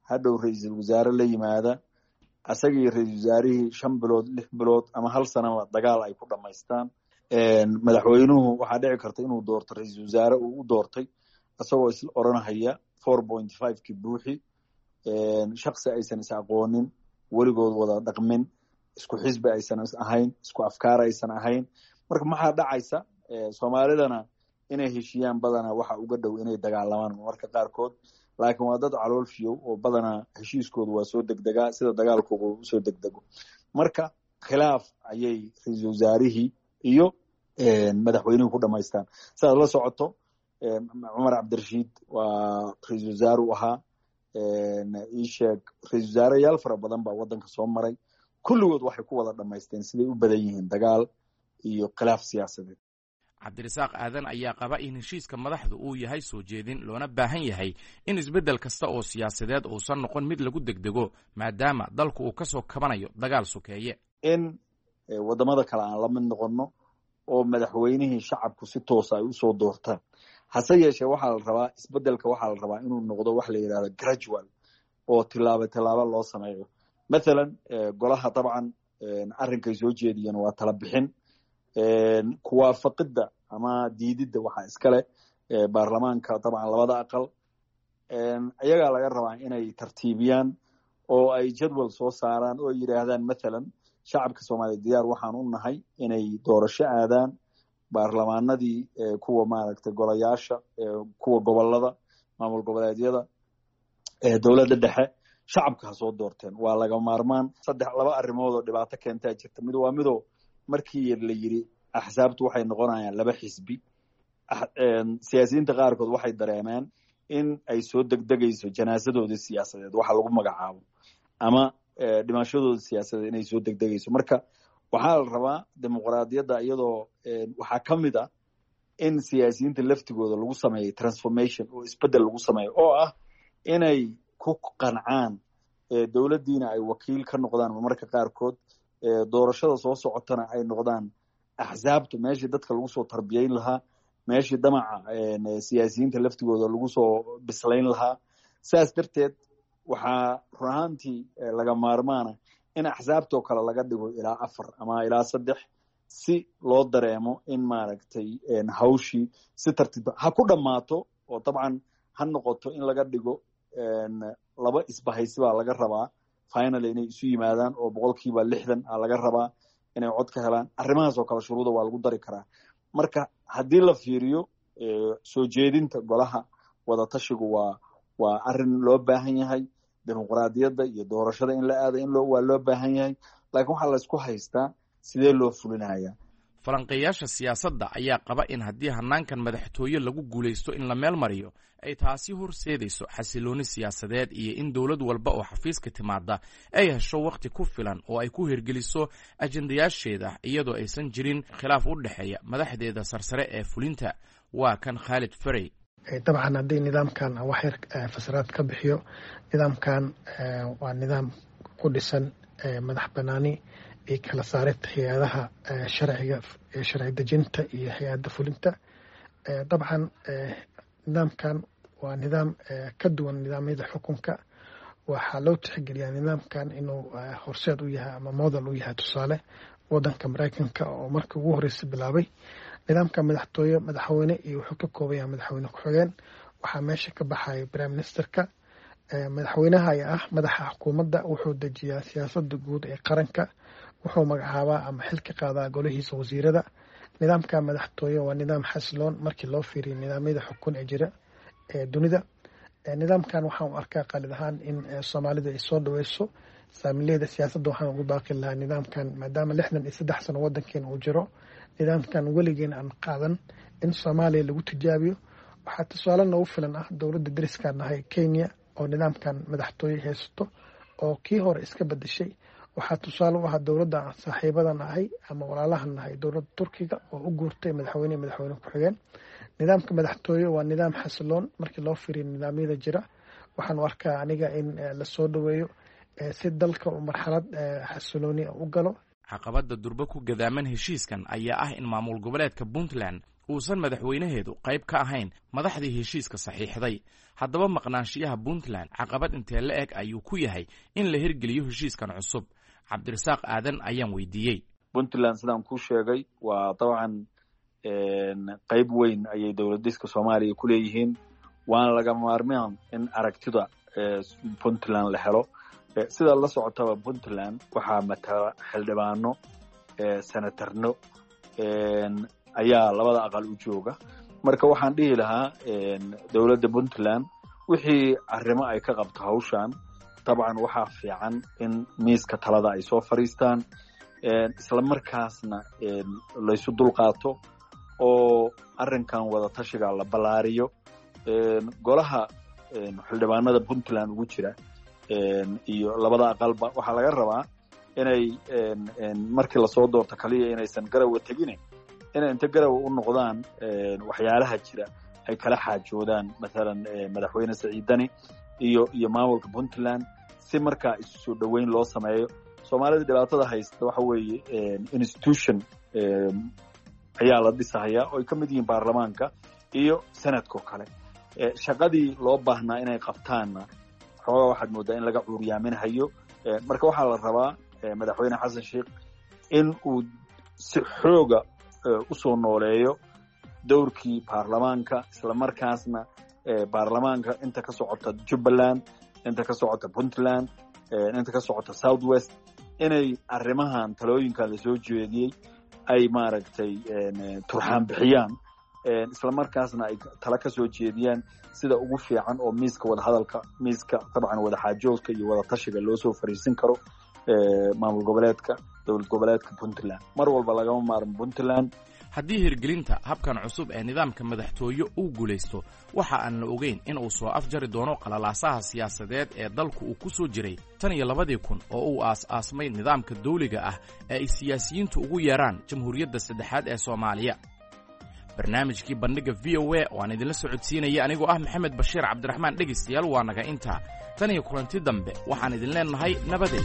hadhow ra-iisul wasaare la yimaada, asagii ra-iisul wasaarihii shan bilood, lix bilood ama hal sanaba dagaal ay ku dhamaystaan. Madaxweynuhu waxaa dhici karta inuu doorto ra-iisul wasaare uu u doortay isagoo isla oranahaya four point five ki buuxi, shaksi aysan is aqoonin, weligood wada dhaqmin, isku xisbi aysan is ahayn, isku afkaar aysan ahayn. Marka maxaa dhacaysa? Soomaalidana inay heshiiyaan badanaa waxa uga dhow inay dagaalamaan marka qaarkood, laakiin waa dad calool fiyow oo badanaa heshiiskoodu waa soo degdegaa sida dagaalkooda usoo degdego. Marka khilaaf ayay ra-iisul wasaarihii iyo madaxweynuhu ku dhamaystaan. Sidaad la socoto, Cumar Cabdirashiid waa ra-iisul wasaare u ahaa, ii sheeg, ra-iisul wasaareyaal fara badan baa waddanka soo maray. Kulligood waxay ku wada dhamaysteen, siday u badan yihiin, dagaal iyo khilaaf siyaasadeed. Cabdirasaaq Aadan ayaa qaba in heshiiska madaxdu uu yahay soo jeedin, loona baahan yahay in isbeddel kasta oo siyaasadeed uusan noqon mid lagu degdego, maadaama dalku uu ka soo kabanayo dagaal sokeeye. In waddamada kale aan la mid noqonno oo madaxweynihii shacabku si toosa ay usoo doortaan. Hase yeeshee waxaa la rabaa isbeddelka, waxaa la rabaa inuu noqdo wax la yidhahdo gradual oo tilaabo tilaabo loo sameeyo. Mathalan golaha dabcan arrinkay soo jeediyeen waa tala bixin, kuwaafaqidda ama diididda waxaa iskale baarlamaanka, dabcan labada aqal iyagaa laga rabaa inay tartiibiyaan oo ay jadwal soo saaraan oo ay yidhaahdaan, mathalan, shacabka Soomaaliya diyaar waxaan u nahay inay doorasho aadaan, baarlamaanadii, kuwa maaragtay golayaasha, kuwa gobolada, maamul goboleedyada, dowladda dhexe, shacabka ha soo doorteen. Waa laga maarmaan. Saddex laba arrimood oo dhibaato keentaa jirta. Mid waa midoo markii la yidhi axsaabtu waxay noqonayaan laba xisbi, siyaasiyiinta qaarkood waxay dareemeen in ay soo degdegayso janaasadoodii siyaasadeed waxa lagu magacaabo ama dhimashadooda siyaasadeed inay soo degdegayso. Marka waxaa la rabaa dimuqraadiyadda iyadoo waxaa ka mid a In siyaasiyiinta laftigooda lagu sameeyo transformation oo isbeddel lagu sameeyo, oo ah inay ku qancaan dowladdiina ay wakiil ka noqdaan marmarka qaarkood, doorashada soo socotana ay noqdaan axsaabtu meeshii dadka lagu soo tarbiyayn lahaa, meeshii damaca siyaasiyiinta laftigooda lagu soo bislayn lahaa. Saas darteed waxaa run ahaantii laga maarmaana in axsaabtoo kale laga dhigo ilaa afar ama ilaa saddex, si loo dareemo in maaragtay hawshii si tartiib ha ku dhammaato, oo dabcan ha noqoto in laga dhigo laba isbahaysi baa laga rabaa finally inay isu yimaadaan, oo boqolkiiba lixdan a laga rabaa inay cod ka helaan. Arrimahaas oo kale shuruuda waa lagu dari karaa. Marka haddii la fiiriyo soo jeedinta golaha wadatashigu, waa waa arrin loo baahan yahay. Dimuqraadiyadda iyo doorashada in la aado in loo waa loo baahan yahay, laakiin waxaa laysku haystaa sidee loo fulinaya. Falanqeeyaasha siyaasadda ayaa qaba in haddii hannaankan madaxtooye lagu guulaysto in la meel mariyo, ay taasi horseedayso xasilooni siyaasadeed iyo in dowlad walba oo xafiiska timaada ay hesho wakhti ku filan oo ay ku hirgeliso ajendayaasheeda, iyadoo aysan jirin khilaaf u dhexeeya madaxdeeda sarsare ee fulinta. Waa kan Khaalid Ferey. Dabcan, haddii nidaamkan wax yar fasiraad ka bixiyo, nidaamkan waa nidaam ku dhisan madax banaani iyo kala saarid hay-adaha sharciga, sharci dejinta iyo hay-adda fulinta. Dabcan, nidaamkan waa nidaam ka duwan nidaamyada xukunka. Waxaa loo tixgeliyaa nidaamkan inuu horseed u yahay ama model u yahay tusaale wadanka Mareykanka, oo markii ugu horreysay bilaabay nidaamka madaxtooye. Madaxweyne iyo wuxuu ka kooban yahay madaxweyne ku-xigeen. Waxaa meesha ka baxaya prime ministerka. Madaxweynaha ayaa ah madaxa xukuumadda. Wuxuu dejiyaa siyaasadda guud ee qaranka, wuxuu magacaabaa ama xil ka qaadaa golihiisa wasiirada. Nidaamka madaxtooye waa nidaam xasiloon markii loo fiiriyo nidaamyada xukun ee jira ee dunida. Nidaamkan waxaan u arkaa qalid ahaan in Soomaalida ay soo dhaweyso. Saamileyda siyaasadda waxaan ugu baaqi lahaa nidaamkan, maadaama lixdan iyo saddex sano wadankeena uu jiro, nidaamkan weligeen aan qaadan, in Soomaaliya lagu tijaabiyo. Waxaa tusaale noogu filan ah dowladda dariskaan nahay, Kenya, oo nidaamkan madaxtooye haysato oo kii hore iska bedeshay. Waxaa tusaale u ah dowladda aan saaxiibadan ahay ama walaalahan nahay, dowladda Turkiga, oo u guurtay madaxweyne madaxweyne ku-xigeen. Nidaamka madaxtooye waa nidaam xasiloon markii loo fiiriyo nidaamyada jira. Waxaan u arkaa aniga in lasoo dhaweeyo si dalka uu marxalad xasilooni u galo. Caqabadda durbe ku gadaaman heshiiskan ayaa ah in maamul goboleedka Puntland uusan madaxweynaheedu qayb ka ahayn madaxdii heshiiska saxiixday. Haddaba, maqnaanshiyaha Puntland caqabad intee la eg ayuu ku yahay in la hirgeliyo heshiiskan cusub? Cabdirasaaq Aadan ayaan weydiiyey. Puntland, sidaan kuu sheegay, waa dabcan qayb weyn ayay dowlad dhiska Soomaaliya ku leeyihiin, waana laga maarmaan in aragtida Puntland la helo. Sida la socotaba, Puntland waxaa matala xildhibaano, senatarno ayaa labada aqal u jooga. Marka waxaan dhihi lahaa dowladda Puntland wixii arrimo ay ka qabto hawshan, dabcan waxaa fiican in miiska talada ay soo fadhiistaan, isla markaasna laysu dulqaato oo arrinkan wada tashiga la ballaariyo. Golaha xildhibaanada Puntland ugu jira iyo labada aqalba waxaa laga rabaa inay markii lasoo doorto kaliya inaysan Garowe tegine, inay inta Garowe u noqdaan waxyaalaha jira ay kala xaajoodaan, mathalan Madaxweyne Saciid Dani iyo iyo maamulka Puntland, si markaa isu soo dhoweyn loo sameeyo. Soomaalida dhibaatada haysta waxa weeye institution ayaa la dhisahayaa oo ay ka mid yihiin baarlamaanka iyo senadka oo kale. Shaqadii loo baahnaa inay qabtaanna xoogaa waxaad moodaa in laga cuuryaaminhayo. Marka waxaa la rabaa Madaxweyne Xasan Sheikh in uu si xooga usoo nooleeyo dowrkii baarlamaanka, isla markaasna baarlamaanka inta ka socota Jubbaland, inta ka socota Puntland, inta ka socota South West, inay arrimahan talooyinkan lasoo jeediyey ay maaragtay turxaan bixiyaan, isla markaasna ay tala ka soo jeediyaan sida ugu fiican oo miiska wadahadalka, miiska dabcan wadaxaajoodka iyo wadatashiga loo soo fariisin karo maamul goboleedka, dowlad goboleedka Puntland. Mar walba lagama maarmo Puntland. Haddii hirgelinta habkan cusub ee nidaamka madaxtooye uu guulaysto, waxa aan la ogeyn in uu soo afjari doono qalalaasaha siyaasadeed ee dalku uu ku soo jiray tan iyo labadii kun oo uu aas-aasmay nidaamka dawliga ah ee ay siyaasiyiintu ugu yeeraan Jamhuuriyadda saddexaad ee Soomaaliya. Barnaamijkii Bandhigga V O A oo aan idinla socodsiinaya anigoo ah Maxamed Bashiir Cabdiraxmaan, dhegaystayaal, waa naga intaa. Tan iyo kulanti dambe, waxaan idin leenahay nabadey.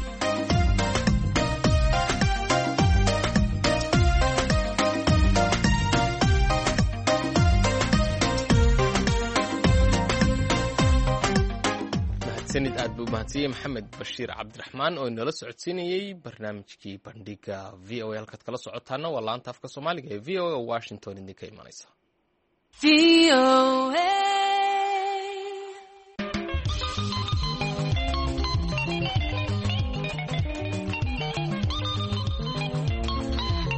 Sanid aad buu umahadsanyey Maxamed Bashiir Cabdiraxmaan oo inala socodsiinayey barnaamijkii Bandhiga V O A. Halkaad kala socotaana waa laanta afka Soomaaliga ee V O A oo Washington idinka imanaysa.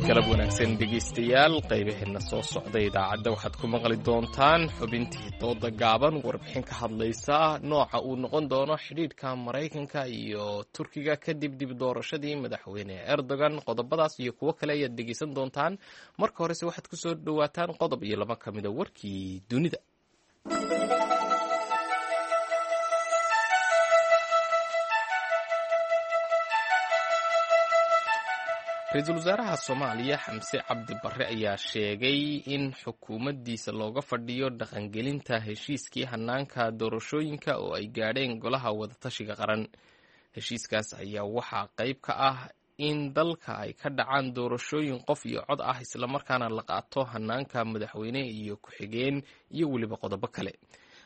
Galab wanaagsan dhegeystayaal, qaybaheena soo socday idaacadda waxaad ku maqli doontaan xubintii dooda gaaban, warbixin ka hadlaysa nooca uu noqon doono xidhiidhka Maraykanka iyo Turkiga kadib dib doorashadii madaxweyne Erdogan. Qodobadaas iyo kuwo kale ayaad dhegeysan doontaan. Marka horese waxaad kusoo dhowaataan qodob iyo laba ka mida warkii dunida. Ra-iisul wasaaraha Soomaaliya Xamse Cabdi Barre ayaa sheegay in xukuumaddiisa looga fadhiyo dhaqangelinta heshiiskii hanaanka doorashooyinka oo ay gaadheen golaha wadatashiga qaran. Heshiiskaas ayaa waxaa qayb ka ah in dalka ay ka dhacaan doorashooyin qof iyo cod ah, islamarkaana la qaato hanaanka madaxweyne iyo ku-xigeen iyo weliba qodobo kale.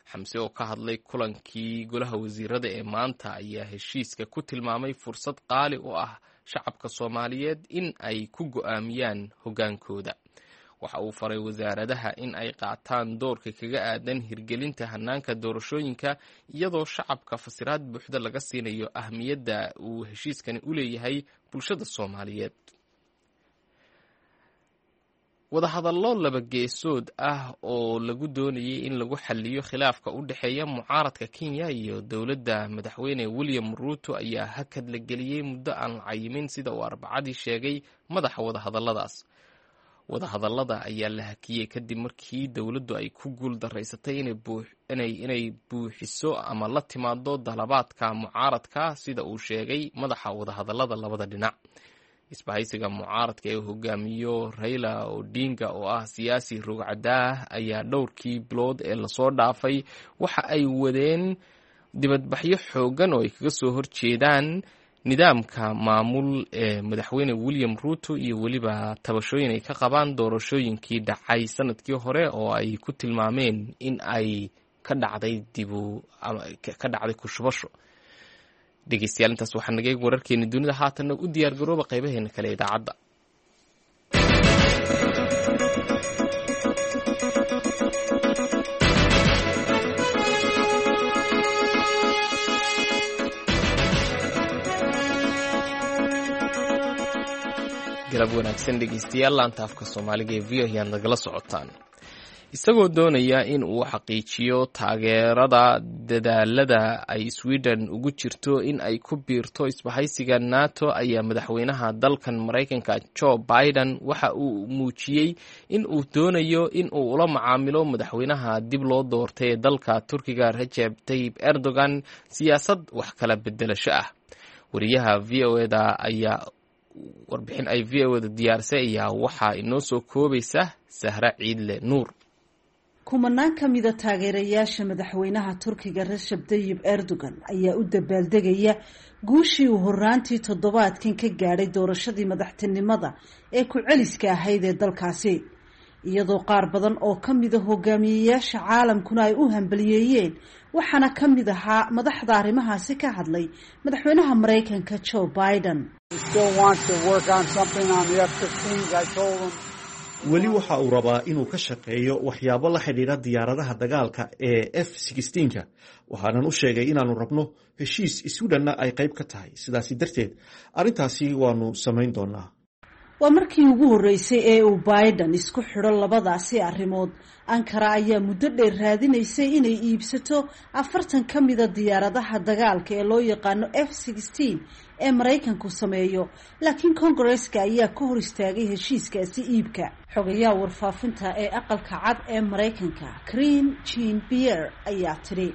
Xamse oo ka hadlay kulankii golaha wasiirada ee maanta ayaa heshiiska ku tilmaamay fursad qaali u ah shacabka Soomaaliyeed in ay ku go'aamiyaan hoggaankooda. Waxa uu faray wasaaradaha in ay qaataan doorka kaga aadan hirgelinta hanaanka doorashooyinka, iyadoo shacabka fasiraad buuxda laga siinayo ahmiyadda uu heshiiskani u leeyahay bulshada Soomaaliyeed. Wadahadallo laba geesood ah oo lagu doonayay in lagu xaliyo khilaafka u dhexeeya mucaaradka Kenya iyo dowladda madaxweyne William Ruto ayaa hakad la geliyey muddo aan la cayimin, sida uu Arbacadii sheegay madaxa wadahadalladaas. Wadahadallada ayaa la hakiyey kadib markii dowladdu ay ku guul daraysatay inay buuxiso ama la timaado dalabaadka mucaaradka, sida uu sheegay madaxa wadahadallada labada dhinac. Isbahaysiga mucaaradka ee hogaamiyo Raila Odinga oo ah siyaasi rogcadaah ayaa dhowrkii bilood ee lasoo dhaafay waxa ay wadeen dibadbaxyo xoogan oo ay kaga soo horjeedaan nidaamka maamul ee madaxweyne William Ruto iyo weliba tabashooyin ay ka qabaan doorashooyinkii dhacay sanadkii hore oo ay ku tilmaameen in ay ka dhacday dibu ka dhacday kushubasho. Dhegeystayaal, intaas waxaa naga eeg wararkeeni dunida. Haatanna u diyaar garooba qaybaheena kale idaacadda. Galab wanaagsan dhegeystayaal, laanta afka Soomaaliga ee V O ayaad nagala socotaan. Isagoo doonaya in uu xaqiijiyo taageerada dadaalada ay Sweden ugu jirto in ay ku biirto isbahaysiga NATO, ayaa madaxweynaha dalkan Maraykanka Joe Biden waxa uu muujiyey in uu doonayo in uu ula macaamilo madaxweynaha dib loo doortay ee dalka Turkiga Recep Tayyip Erdogan siyaasad wax kala bedelasho ah. Wariyaha V O eda ayaa warbixin ay V O eda diyaarisay ayaa waxaa inoo soo koobaysa Sahra Ciidle Nuur. Kumanaan ka mida taageerayaasha madaxweynaha Turkiga Recep Tayyip Erdogan ayaa u dabaaldegaya guushii uu horaantii toddobaadkan ka gaadhay doorashadii madaxtinimada ee ku-celiska ahayd ee dalkaasi, iyadoo qaar badan oo ka mida hogaamiyeyaasha caalamkuna ay u hambaliyeeyeen. Waxaana ka mid ahaa madaxda arrimahaasi ka hadlay madaxweynaha Maraykanka Joe Biden. Weli waxa uu rabaa inuu ka shaqeeyo waxyaabo la xidhiidha diyaaradaha dagaalka ee F ka. Waxaanan u sheegay inaannu rabno heshiis Sweden-na ay qayb ka tahay, sidaasi darteed arrintaasi waanu samayn doonaa. Waa markii ugu horreysay ee uu Biden isku xidho labadaasi arrimood. Ankara ayaa muddo dheer raadinaysay inay iibsato afartan ka mida diyaaradaha dagaalka ee loo yaqaano F ee Maraykanku sameeyo, laakiin Kongareska ayaa ka hor istaagay heshiiskaasi iibka. Xogayaha warfaafinta ee Aqalka Cad ee Maraykanka Karine Jean Pierre ayaa tidhi,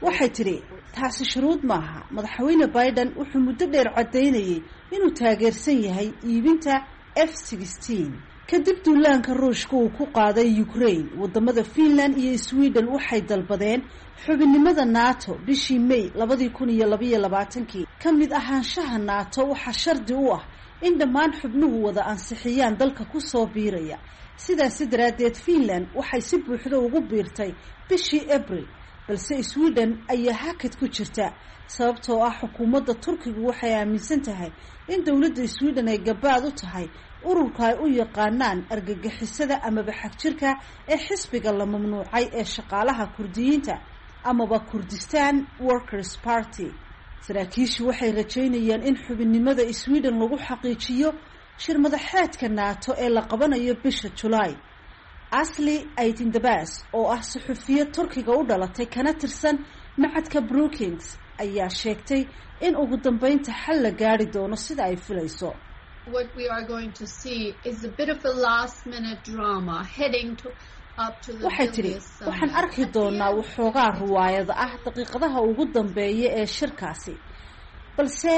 waxay tidhi, taasi shuruud maaha. Madaxweyne Biden wuxuu muddo dheer caddaynayay inuu taageersan yahay iibinta F sixteen. Kadib duulaanka Ruushka uu ku qaaday Ukraine, wadamada Finland iyo Sweden waxay dalbadeen xubinnimada NATO bishii May labadii kun iyo labaiyo labaatankii. Ka mid ahaanshaha NATO waxaa shardi u ah in dhammaan xubnuhu wada ansixiyaan dalka kusoo biiraya. Sidaasi daraaddeed Finland waxay si buuxda ugu biirtay bishii Abril, balse Sweden ayaa hakad ku jirta sababtoo ah xukuumadda Turkigu waxay aaminsan tahay in dowladda Sweden ay gabaad u tahay ururka ay u yaqaanaan argagixisada amaba xagjirka ee xisbiga la mamnuucay ee shaqaalaha Kurdiyiinta amaba Kurdistan Workers Party. Saraakiishu waxay rajaynayaan in xubinnimada Sweden lagu xaqiijiyo shir madaxeedka NATO ee la qabanayo bisha Julaay. Asli Aydindabas oo ah suxufiye Turkiga u dhalatay kana tirsan macadka Brookings ayaa sheegtay in ugu dambeynta xal la gaari doono sida ay filayso. What we are going to see is a bit of a last minute drama heading to up to the Waxay tidhi, waxaan arki doonaa waxoogaa ruwaayad ah daqiiqadaha ugu dambeeya ee shirkaasi, balse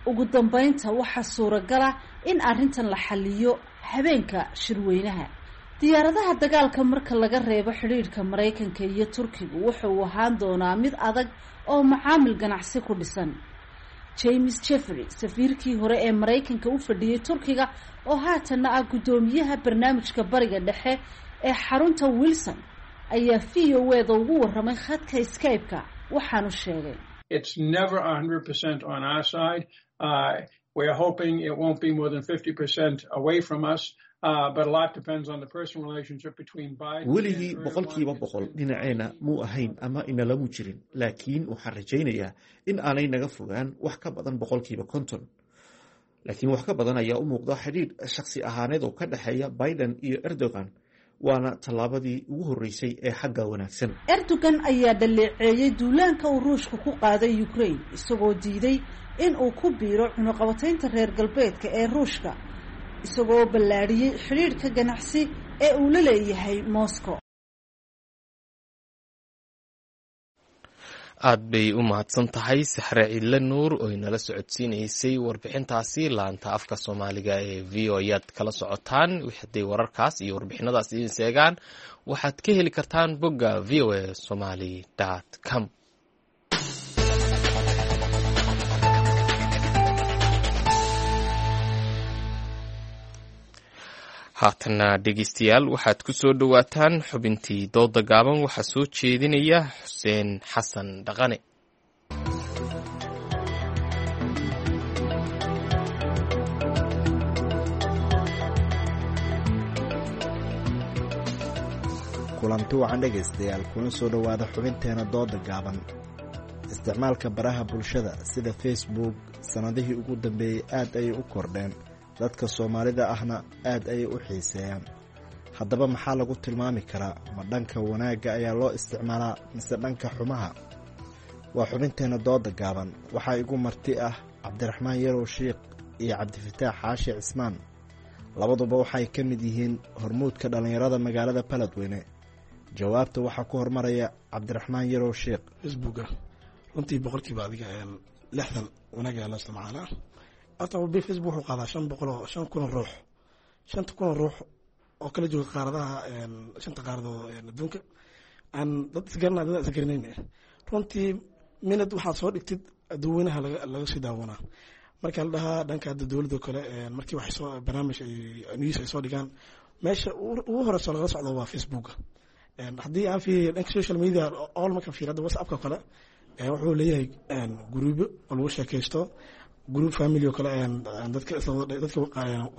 ugu dambeynta waxaa suuragala in arrintan la xaliyo habeenka shirweynaha. Diyaaradaha dagaalka marka laga reebo, xidhiidhka Maraykanka iyo Turkigu wuxa uu ahaan doonaa mid adag oo macaamil ganacsi ku dhisan. James Jeffrey, safiirkii hore ee Maraykanka u fadhiyey Turkiga oo haatanna ah guddoomiyaha barnaamijka Bariga Dhexe ee xarunta Wilson, ayaa V O E da ugu warramay khadka Skype-ka, waxaanu sheegay: It's never one hundred percent on our side. Uh, we're hoping it won't be more than fifty percent away from us. Uh, but a lot depends on the personal relationship between Biden. Weligii boqolkiiba boqol dhinaceena muu ahayn ama inalamu jirin, laakiin waxaan rajaynayaa in aanay naga fogaan wax ka badan boqolkiiba konton. Laakiin wax ka badan ayaa u muuqda xidhiidh shakhsi ahaaneed oo ka dhexeeya Biden iyo Erdogan, waana tallaabadii ugu horreysay ee xagga wanaagsan. Erdogan ayaa dhaleeceeyey duulaanka uu Ruushka ku qaaday Ukraine, isagoo diiday in uu ku biiro cunuqabataynta reer galbeedka ee Ruushka, isagoo ballaadhiyey xidhiidhka ganacsi ee uu la leeyahay Moscow. Aad bay u mahadsan tahay Saxre Ciidle Nuur oo inala socodsiinaysay warbixintaasi. Laanta afka Soomaaliga ee V O ayaad kala socotaan. Hadday wararkaas iyo warbixinadaas idin seegaan, waxaad ka heli kartaan bogga V O A Somali dot com. Haatana dhegeystayaal, waxaad ku soo dhowaataan xubintii dooda gaaban. Waxaa soo jeedinaya Xuseen Xasan Dhaqane. Kulanti wacan dhegaystayaal, kuna soo dhowaada xubinteena dooda gaaban. Isticmaalka baraha bulshada sida Facebook sannadihii ugu dambeeyey aad ayay u kordheen, dadka Soomaalida ahna aad ayay u xiiseeyaan. Haddaba maxaa lagu tilmaami karaa? Ma dhanka wanaagga ayaa loo isticmaalaa mise dhanka xumaha? Waa xubinteenna dooda gaaban. Waxaa igu marti ah Cabdiraxmaan Yarow Shiikh iyo Cabdifataax Xaashi Cismaan. Labaduba waxay ka mid yihiin hormuudka dhallinyarada magaalada Baladweyne. Jawaabta waxaa ku hormaraya Cabdiraxmaan Yarow Shiikh. Facebooka runtii boqolkiiba adiga lixdan wanaag ayaa loo isticmaalaa. Horta Facebook wuxuu qaadaa shan boqol oo shan kun oo ruux, shanta kun oo ruux oo kala jooga qaaradaha, shanta qaaradood adduunka, aan dad isgarana dad isgaranayn. Runtii minad waxaad soo dhigtid dadweynaha laga laga sii daawanaa. Marka la dhahaa dhanka hadda dowladda kale, markii waxay soo barnaamij ay news ay soo dhigaan, meesha ugu horeysa lagala socdo waa Facebooka. Haddii aan fiiriyo dhanka social media all, markaan fiiriyo hadda WhatsAppka kale, wuxuu leeyahay gruubyo oo lagu sheekaysto, group family oo kale, dadka dadka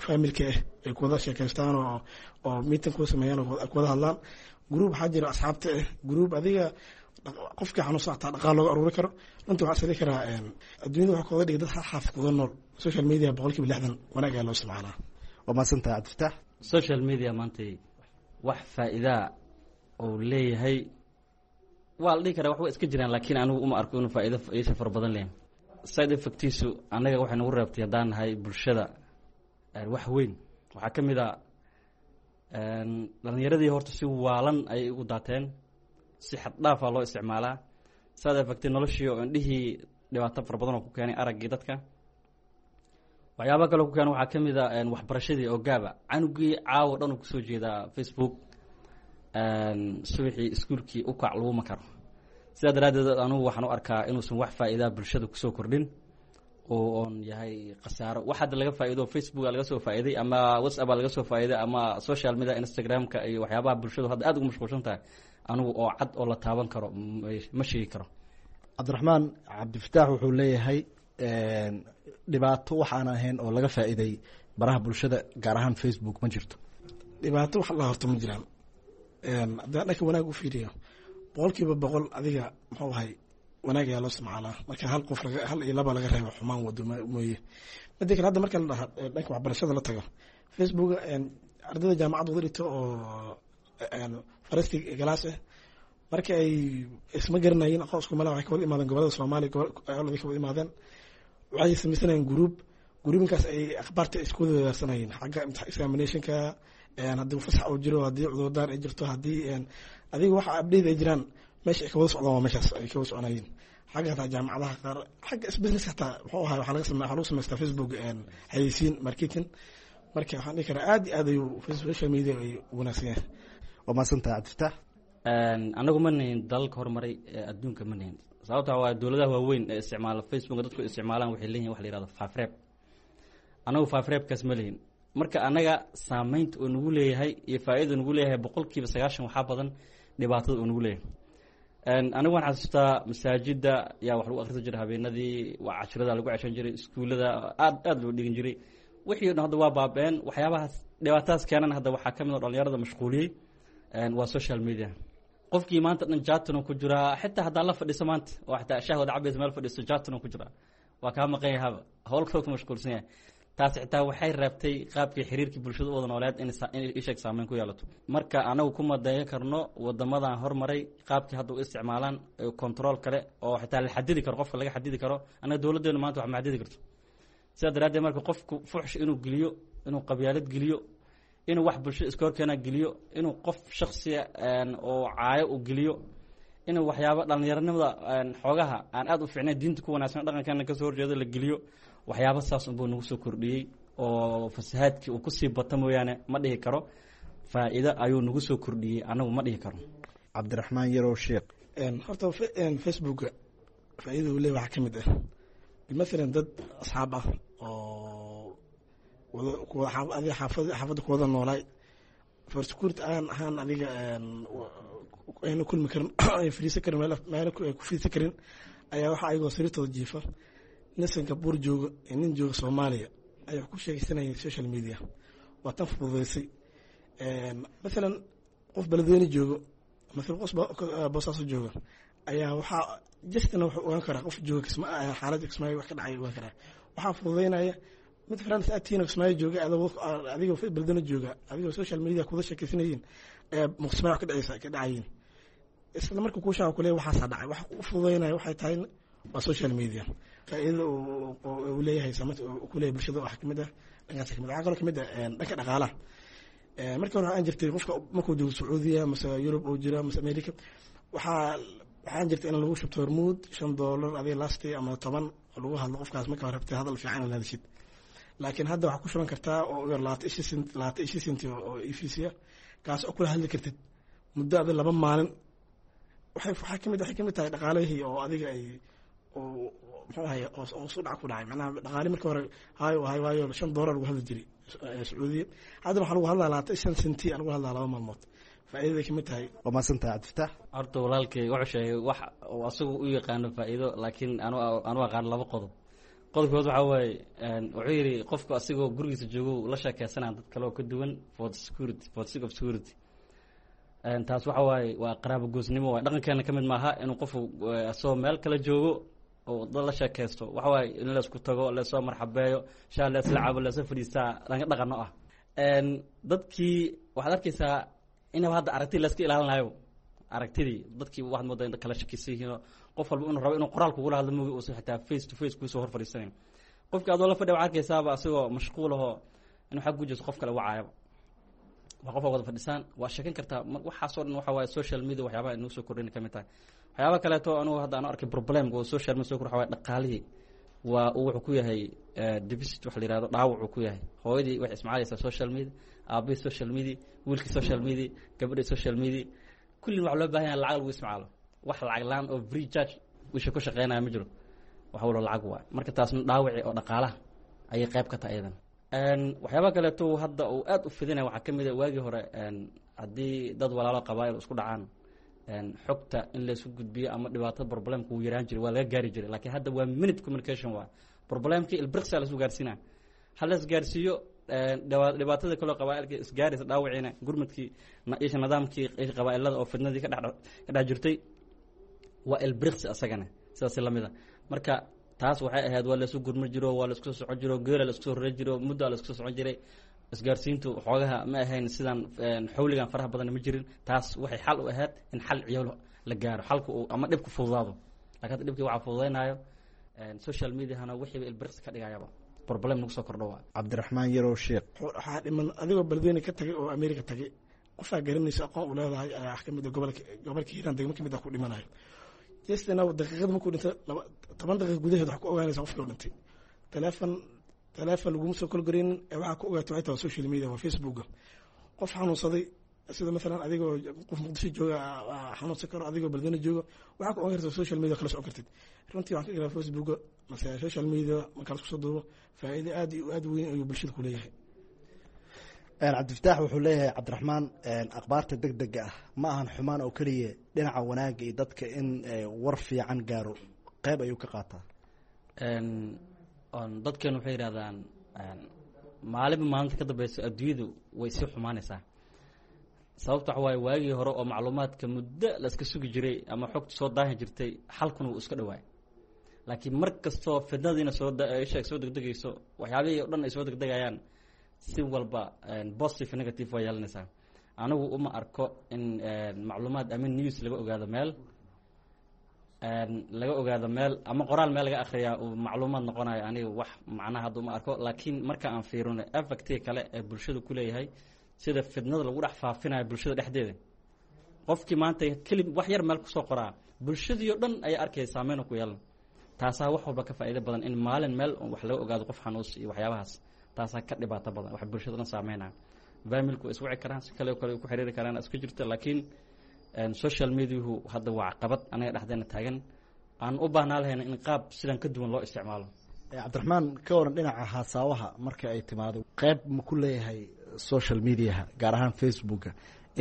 familka ah ay ku wada sheekaystaan oo oo meeting ku sameeyaan oo ku wada hadlaan. Group waxaa jira asxaabta ah, group adiga qofkii xanuunsan xataa dhaqaal looga aruuri karo. Runtii waxaa isdhihi karaa adduunyada waxaa kooga dhigay dad xaafid kuga nool. Social media boqolkiiba lixdan wanaag ayaa loo isticmaalaa. Waa mahadsantahay Cabdifataax. Social media maanta wax faa'iidaa uu leeyahay waa la dhihi karaa, wax way iska jiraan, laakiin anigu uma arko inuu faa'iido iisha fara badan leeyahay. Side effectiisu annaga waxay nagu reebtay haddaan nahay bulshada wax weyn. Waxaa ka mid a dhalinyaradii horta si waalan ayay ugu daateen, si xad dhaafaa loo isticmaalaa. Side effecti noloshii oo indhihii dhibaato fara badan oo ku keenay araggii dadka. Waxyaaba kale ku keena waxaa ka mid a waxbarashadii oo gaaba, canugii caawo dhan uu kusoo jeedaa Facebook, subaxii iskuulkii u kac laguma karo. Sidaa daraaddeed anugu waxaan u arkaa inuusan wax faa'iidaa bulshada kusoo kordhin oo oon yahay khasaaro. Wax hadda laga faa'iido Facebooka laga soo faa'iiday ama WhatsApp laga soo faa'iiday ama social media, Instagram-ka iyo waxyaabaha bulshadu hadda aad ugu mashquulsan tahay, anugu oo cad oo la taaban karo ma sheegi karo. Cabdiraxmaan, Cabdifataax wuxuu leeyahay dhibaato wax aan ahayn oo laga faa'iiday baraha bulshada, gaar ahaan Facebook, ma jirto. Dhibaato wax la horto ma jiraan. Haddaan dhanka wanaag u fiiriyo, boqolkiiba boqol adiga muxuu ahay wanaag ayaa loo isticmaalaa, marka hal qof hal iyo laba laga reebo xumaan wado mooye. Mida kale, hadda marka la dhaha dhanka waxbarashada la tago, Facebook ardayda jaamacad wada dhigto oo farasti galaas ah, marka ay isma garanayeen, aqoon isku mala, waxay ka wada imaadeen gobolada Soomaaliya, gobolada ka wada imaadeen, waxay samaysanayeen group. Groupinkaas ay akhbaarta isku wada wadaarsanayeen xagga examinationka, haddii fasax uu jiro, haddii cudurdaar ay jirto, haddii adiga waxa update ay jiraan, meesha ay ka wada socdaan waa meeshaas ay ka wada soconayeen. Xagga hataa jaamacadaha qaar, xagga business hataa muxuu ahay, waxaa laga samey waxaa lagu samaystaa Facebook xayeysiin, marketing. Marka waxaan dhihi karaa aad iyo aad ayuu social media ay wanaagsan yahay. Waa mahadsantahay, Cabdifataax. Anagu ma nihin dalalka horumaray ee adduunka, ma nihin. Sababta waa dowladaha waaweyn ee isticmaala Facebook, dadku isticmaalaan waxay leeyihin wax la yihahdo faafreeb. Anagu faafreebkaas ma lihin. Marka anaga saameynta uu nagu leeyahay iyo faa'iida nagu leeyahay boqolkiiba sagaashan waxaa badan dhibaatada uu nagu leeyahay. Anigu waan xasuustaa masaajida yaa wax lagu akhrisan jiray habeenadii, waa cashirada lagu ceshan jiray, iskuullada aad aad loo dhigan jiray. Wixii o dhan hadda waa baabeen. Waxyaabahaas dhibaatadaas keenan hadda waxaa ka mid a dhalinyarada mashquuliyey waa social media. Qofkii maanta dhan jatano ku jiraa, xitaa haddaa la fadhiso maanta oo xitaa shaah wada cabaysa meel fadhiiso, jatano ku jiraa, waa kaa maqan yahaba, howl kaloo ku mashquulsan yahay. Taasi xitaa waxay reebtay qaabkii xiriirkii bulshada u wada nooleed in isheeg saameyn ku yeelato. Marka anagu kuma dayan karno wadamadan hormaray qaabkii hadda u isticmaalaan, control kale oo xitaa la xadidi karo, qofka laga xadidi karo. Anaga dowladdeenu maanta wax ma xadidi karto. Sidaa daraaddeed marka qofku fuxsh inuu geliyo, inuu qabyaalad geliyo, inuu wax bulshada iska horkeena geliyo, inuu qof shaksiya oo caayo u geliyo, inuu waxyaabo dhalinyaranimada xoogaha aan aad u fiicnayn, diinta ku wanaagsan, dhaqankeena kasoo horjeedo la geliyo, waxyaabo saas unbuu nagu soo kordhiyey oo fasahaadkii uu kusii bato mooyaane, ma dhihi karo faa'iido ayuu nagu soo kordhiyey, anagu ma dhihi karo. Cabdiraxmaan Yarow Sheekh. Horta Facebooka faa'iidada uu leeyahay waxaa ka mid ah, mathalan dad asxaab ah oo wada adiga xaafad xaafadda ku wada noolaay, for security aan ahaan adiga ayna kulmi karin, ay fadhiisan karin, meel meel ay ku fadhiisan karin, ayaa waxa ayagoo sariirtooda jiifa, nin Singapore jooga iyo nin jooga Soomaaliya ayaa ku sheegaysanayay social media. Waa tan fududeysay. Mathalan qof Beledweyne joogo, mathalan qof Boosaaso jooga ayaa waxaa justina wuxuu ogaan karaa qof jooga Kisma xaaladda Kismaayo wax ka dhacay ogaan karaa. Waxaa fududeynaya mid friends aad tihiin oo Kismaayo jooga, adigoo Beledweyne jooga, adigoo social media kuwada sheekaysanayeen ayaa Kismaayo wax ka dhacaysa ka dhacayiin, isla marka kuu sheega kuleeyahay waxaasaa dhacay. Wax u fududeynaya waxay tahay waa social media. Faa'iidada uu leeyahay, saameynta uu ku leeyahay bulshada waxaa kamid ah dhankaas kamid. Waxaa kaloo kamid ah dhanka dhaqaalaha. Markii hore waxaan jirtay qofka markuu joogo Sacuudiya mase Yurub uu jiro mase America, waxaa waxaan jirtay in lagu shubto Hormuud shan doolar adiga lasti ama toban lagu hadlo qofkaas marka rabtay hadal fiican inaad hadashid. Laakiin hadda waxaa ku shuban kartaa oo yar labaatan ishi sent, labaatan ishi senti oo E V C ah, kaas oo kula hadli kartid muddo adi laba maalin. Waxay waxaa kamid waxay kamid tahay dhaqaalihii oo adiga ay oo muxuu ahay oo soo dhac ku dhacay. Macnaha dhaqaali marka hore hayo hayo waayo shan doolar lagu hadli jiray Sacuudiya, haddana waxaa lagu hadlaa labaatan shan senti lagu hadlaa laba maalmood. Faa'iidaday kamid tahay. Waa mahadsantahay, Cabdifataax. Horta walaalkay wuxuu sheegay wax uu asagu u yaqaano faa'iido, laakiin anu anu aqaano laba qodob. Qodobkood waxaa waaye, wuxuu yidhi qofku asigoo gurigiisa joogo la sheekeysanaya dad kale oo ka duwan for the security, for the sake of security. Taas waxa waaye waa qaraabo goosnimo. Waay dhaqankeena ka mid maaha inuu qofku asagoo meel kala joogo oo dad la sheekeysto. Waxa waaye in laysku tago, laysoo marxabeeyo, shaa laysla cabo, laysla fadhiistaa dhanka dhaqano ah. Dadkii waxaad arkeysaa inaba hadda aragtidii layska ilaalinayo. Aragtidii dadkii waxaad moodaa in kala shakisan yihiinoo qof walba inuu rabo inuu qoraal kugula hadlo moogi, uusan xitaa face to face kuusoo hor fadhiisanayn. Qofkii adoo la fadhiya waxaad arkeysaaba asagoo mashquul ahoo inuu xag gujiso qof kale wacaayaba. Waa qof wada fadhisaan, waa sheekan kartaa. Waxaasoo dhan waxa waaye social media waxyaabaha inuu soo kordhin ka mid tahay. Waxyaaba kaleeto anugu hadda aan arkay problemka oo social media soo kor waxa waaye dhaqaalihii. Waa uu wuxuu ku yahay deficit wax la yihahdo, dhaawacuu ku yahay. Hooyadii waxay isticmaalaysaa social media, aabihii social media, wiilkii social media, gabadhii social media. Kullin waxaa loo baahan yahay lacag lagu isticmaalo. Wax lacag laan oo free charge wisha ku shaqeynaya ma jiro, wax walba lacag waay. Marka taasna dhaawaci oo dhaqaalaha ayay qayb ka tahay iyadan. Waxyaabaha kaleeto hadda uu aad u fidinaya waxaa ka mid a, waagii hore haddii dad walaalo qabaa'il isku dhacaan, xogta in laysku gudbiyo ama dhibaatada problemka wuu yaraan jiray, waa laga gaari jiray. Laakiin hadda waa minute communication, waa problemkii ilbriqsa laisku gaarsiinaya. Ha la isgaarsiiyo dhibaatada kaloo qabaailka isgaaraysa, dhaawaciina gurmadkii isha nidaamkii isha qabaa'ilada oo fidnadii ka dhex ka dhex jirtay waa ilbriqsi asagana sidaas lamida. Marka taas waxay ahayd waa laisku gurma jiro, waa laisku soo socon jiro, geela laisku soo rari jiro, muddaa laisku soo socon jiray. Isgaarsiintu xoogaha ma ahayn sidan xawligan faraha badan ma jirin. Taas waxay xal u ahayd in xal ciyool la gaaro, xalku uu ama dhibku fududaado. Lakin hadda dhibkii waxaa fududaynayo social mediahana, wixiiba ilbriqsi ka dhigayaba problem nagu soo kordho waa. Cabdiraxmaan Yarow Sheekh. Waxaa dhiman adigoo beledweyne ka tagay oo America tagay, qofaa garanaysa aqoon u leedahay ayaa wax kamid a gobolka gobolka Hiiraan degmo kamid ah ku dhimanayo. Jestina daqiiqada markuu dhintay laba toban daqiiqa gudaheed wax ku ogaanaysa qofkii u dhintay. Teleefon teleefon laguma soo kolgareynin ee waxaa ku ogaatay waxay tahay social media, waa Facebooka. Qof xanuunsaday, sida maalan adigoo qof Muqdisho jooga xanuunsan karo, adigoo beledweyne jooga waxaa ku ogaan kartaa social media, kala socon kartid. Runtii waxaan ka galaa Facebooka mase social media marka la isku soo duubo faa'iido aad iyo aad weyn ayuu bulshada ku leeyahay. Cabdifataax wuxuu leeyahay Cabdiraxmaan, akhbaarta deg dega ah ma ahan xumaan oo keliya, dhinaca wanaagga iyo dadka in war fiican gaaro qeyb ayuu ka qaataa. Dadkeenu waxay yidhahdaan maalinba maalinta ka dambeysa adduunyadu way sii xumaanaysaa. Sababta waxa waaye waagii hore oo macluumaadka muddo la iska sugi jiray ama xogta soo daahi jirtay, xalkuna wuu iska dhawaay. Laakiin mar kastoo fidnadiina soo isha soo degdegayso, waxyaabihii o dhan ay soo degdegayaan, si walba positive negative waa yeelanaysaa. Anigu uma arko in macluumaad ama news laga ogaado meel laga ogaado meel ama qoraal meel laga akhriyaa uu macluumaad noqonayo. Aniga wax macnaha hadda uma arko. Laakiin marka aan fiirino effectiga kale ee bulshada ku leeyahay, sida fidnada lagu dhex faafinayo bulshada dhexdeeda, qofkii maanta keli wax yar meel kusoo qoraa bulshadii oo dhan ayaa arkaya, saameyn ku yeelan. Taasaa wax walba ka faa'iido badan in maalin meel wax laga ogaado qof xanuus iyo waxyaabahaas. Taasaa ka dhibaato badan wax bulshada dhan saameynaya. Familku way iswici karaan, si kale kale ku xiriiri karaan isku jirta. Laakiin social mediahu hadda waa caqabad anaga dhexdeena taagan, aan u baahnaa lahayna in qaab sidan ka duwan loo isticmaalo. Cabdiraxmaan, ka waran dhinaca haasaawaha marka ay timaado, qeyb ma ku leeyahay social mediaha gaar ahaan Facebooka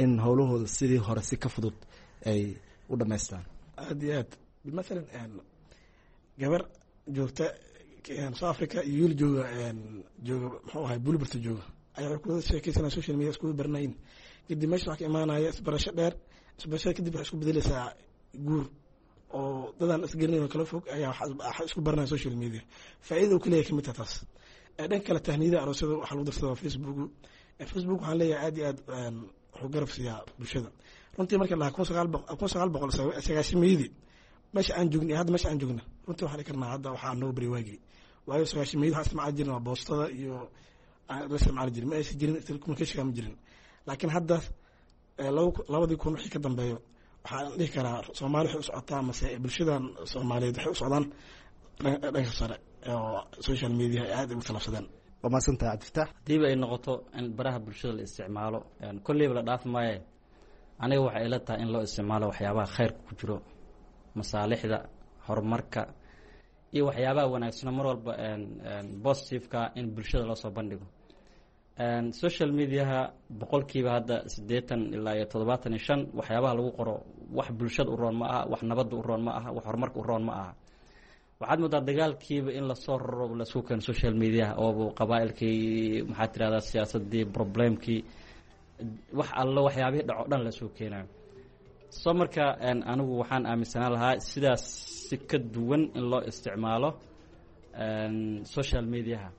in howlahooda sidii hore si ka fudud ay u dhamaystaan? Aad iyo aad. Mathalan gabar joogta South Africa iyo wiil jooga jooga muxuu ahay Bulburta jooga ayaa waxay kuwada sheekeysanaya social media, iskuwada baranayin. Kadib meesha waxaa ka imaanaya isbarasho dheer. Isbarashada kadib waxay isku bedeleysaa guur, oo dadaan isgaranayn oo kala fog ayaa waxa isku baranaya social media. Faa'iida uu ka leeyahay kamid tahay taas. Dhanka kale tahniyada aroosyada waxaa lagu darsadaa Facebook. Facebook waxaan leeyahay aad iyo aad wuxuu garab siiyaa bulshada. Runtii marka lahaa kun sagaal boqol kun sagaal boqol sagaashameeyadii meesha aan joogna iyo hadda meesha aan joogna, runtii waxaan dhihi karnaa hadda waxaa noo bari waagii. Waayo sagaashameeyadii waxaan isticmaali jirna waa boostada iyo la isticmaali jirin, ma aysan jirin telecommunication, ma jirin. Laakiin hadda labadii kun wixii ka dambeeyo waxaan dhihi karaa Soomaali waxay u socotaa mase bulshadan Soomaaliyeed waxay u socdaan dhanka sare oo social media ay aad ugu talaabsadeen. Waa mahadsantahay Cabdifataax. Hadiiba ay noqoto in baraha bulshada la isticmaalo, kolleyba la dhaafi maaye, aniga waxay ila tahay in loo isticmaalo waxyaabaha khayrka ku jiro, masaalixda horumarka iyo waxyaabaha wanaagsano, mar walba positiveka in bulshada loo soo bandhigo. Social mediaha boqolkiiba hadda siddeetan ilaa iyo toddobaatan iyo shan waxyaabaha lagu qoro wax bulshada u roon ma aha, wax nabadda u roon ma aha, wax horumarka u roon ma aha. Waxaad moodaa dagaalkiiba in lasoo raro, lasku keeno social mediaha oobu qabaa'ilkii, maxaa tirahdaa, siyaasadii, problemkii, wax allo waxyaabihii dhaco dhan lasoo keenayo. Soo marka anigu waxaan aaminsanaan lahaa sidaas si ka duwan in loo isticmaalo social mediaha.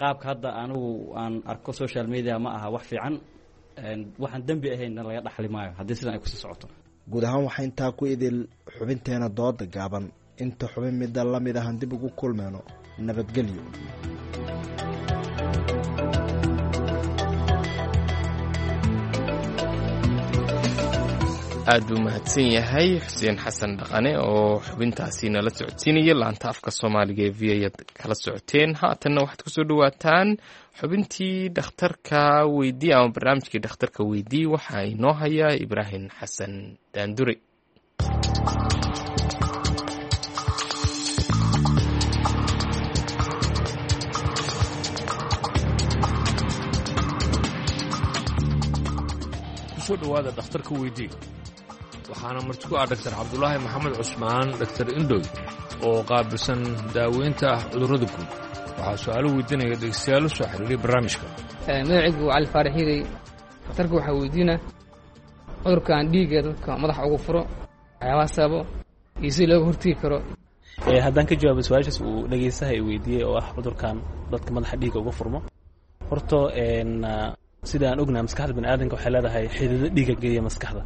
Qaabka hadda anigu aan arko social media ma aha wax fiican, waxaan dembi ahaynna laga dhaxli maayo haddii sidan ay kusii socoto. Guud ahaan waxaa intaa ku idil xubinteena dooda gaaban. Inta xubin midda la mid ahan dib ugu kulmeyno, nabadgelyo. Aad buu mahadsan yahay Xuseen Xasan Dhaqane oo xubintaasi nala socodsiinaya. Laanta afka Soomaaliga ee V ayaad kala socoteen. Haatanna waxaad kusoo dhawaataan xubintii dhakhtarka weydii ama barnaamijkii dhakhtarka weydii. Waxaa inoo hayaa Ibraahim Xasan Daandure. Kusoo dhawaada dhakhtarka weydii. Waxaana marti ku ah Dhaktar Cabdulaahi Maxamed Cusmaan, Dhaktar Indhoy, oo qaabilsan daaweynta cudurrada guud. Waxaa su'aalo weydiinaya dhegeystayaal u soo xiriiray barnaamijka. Magacaygu waa Cali Faarax Hiirey. Dhakhtarka waxaa weydiina cudurkan dhiigga dadka madaxa ugu furo, waxyaabaha sababo iyo sida looga hortegi karo. Haddaan ka jawaabo su-aashaas uu dhegeystaha i weydiiyey oo ah cudurkan dadka madaxa dhiigga uga furmo, horta sida aan ognahay, maskaxda bani aadamka waxay leedahay xidido dhiigga geeya maskaxda.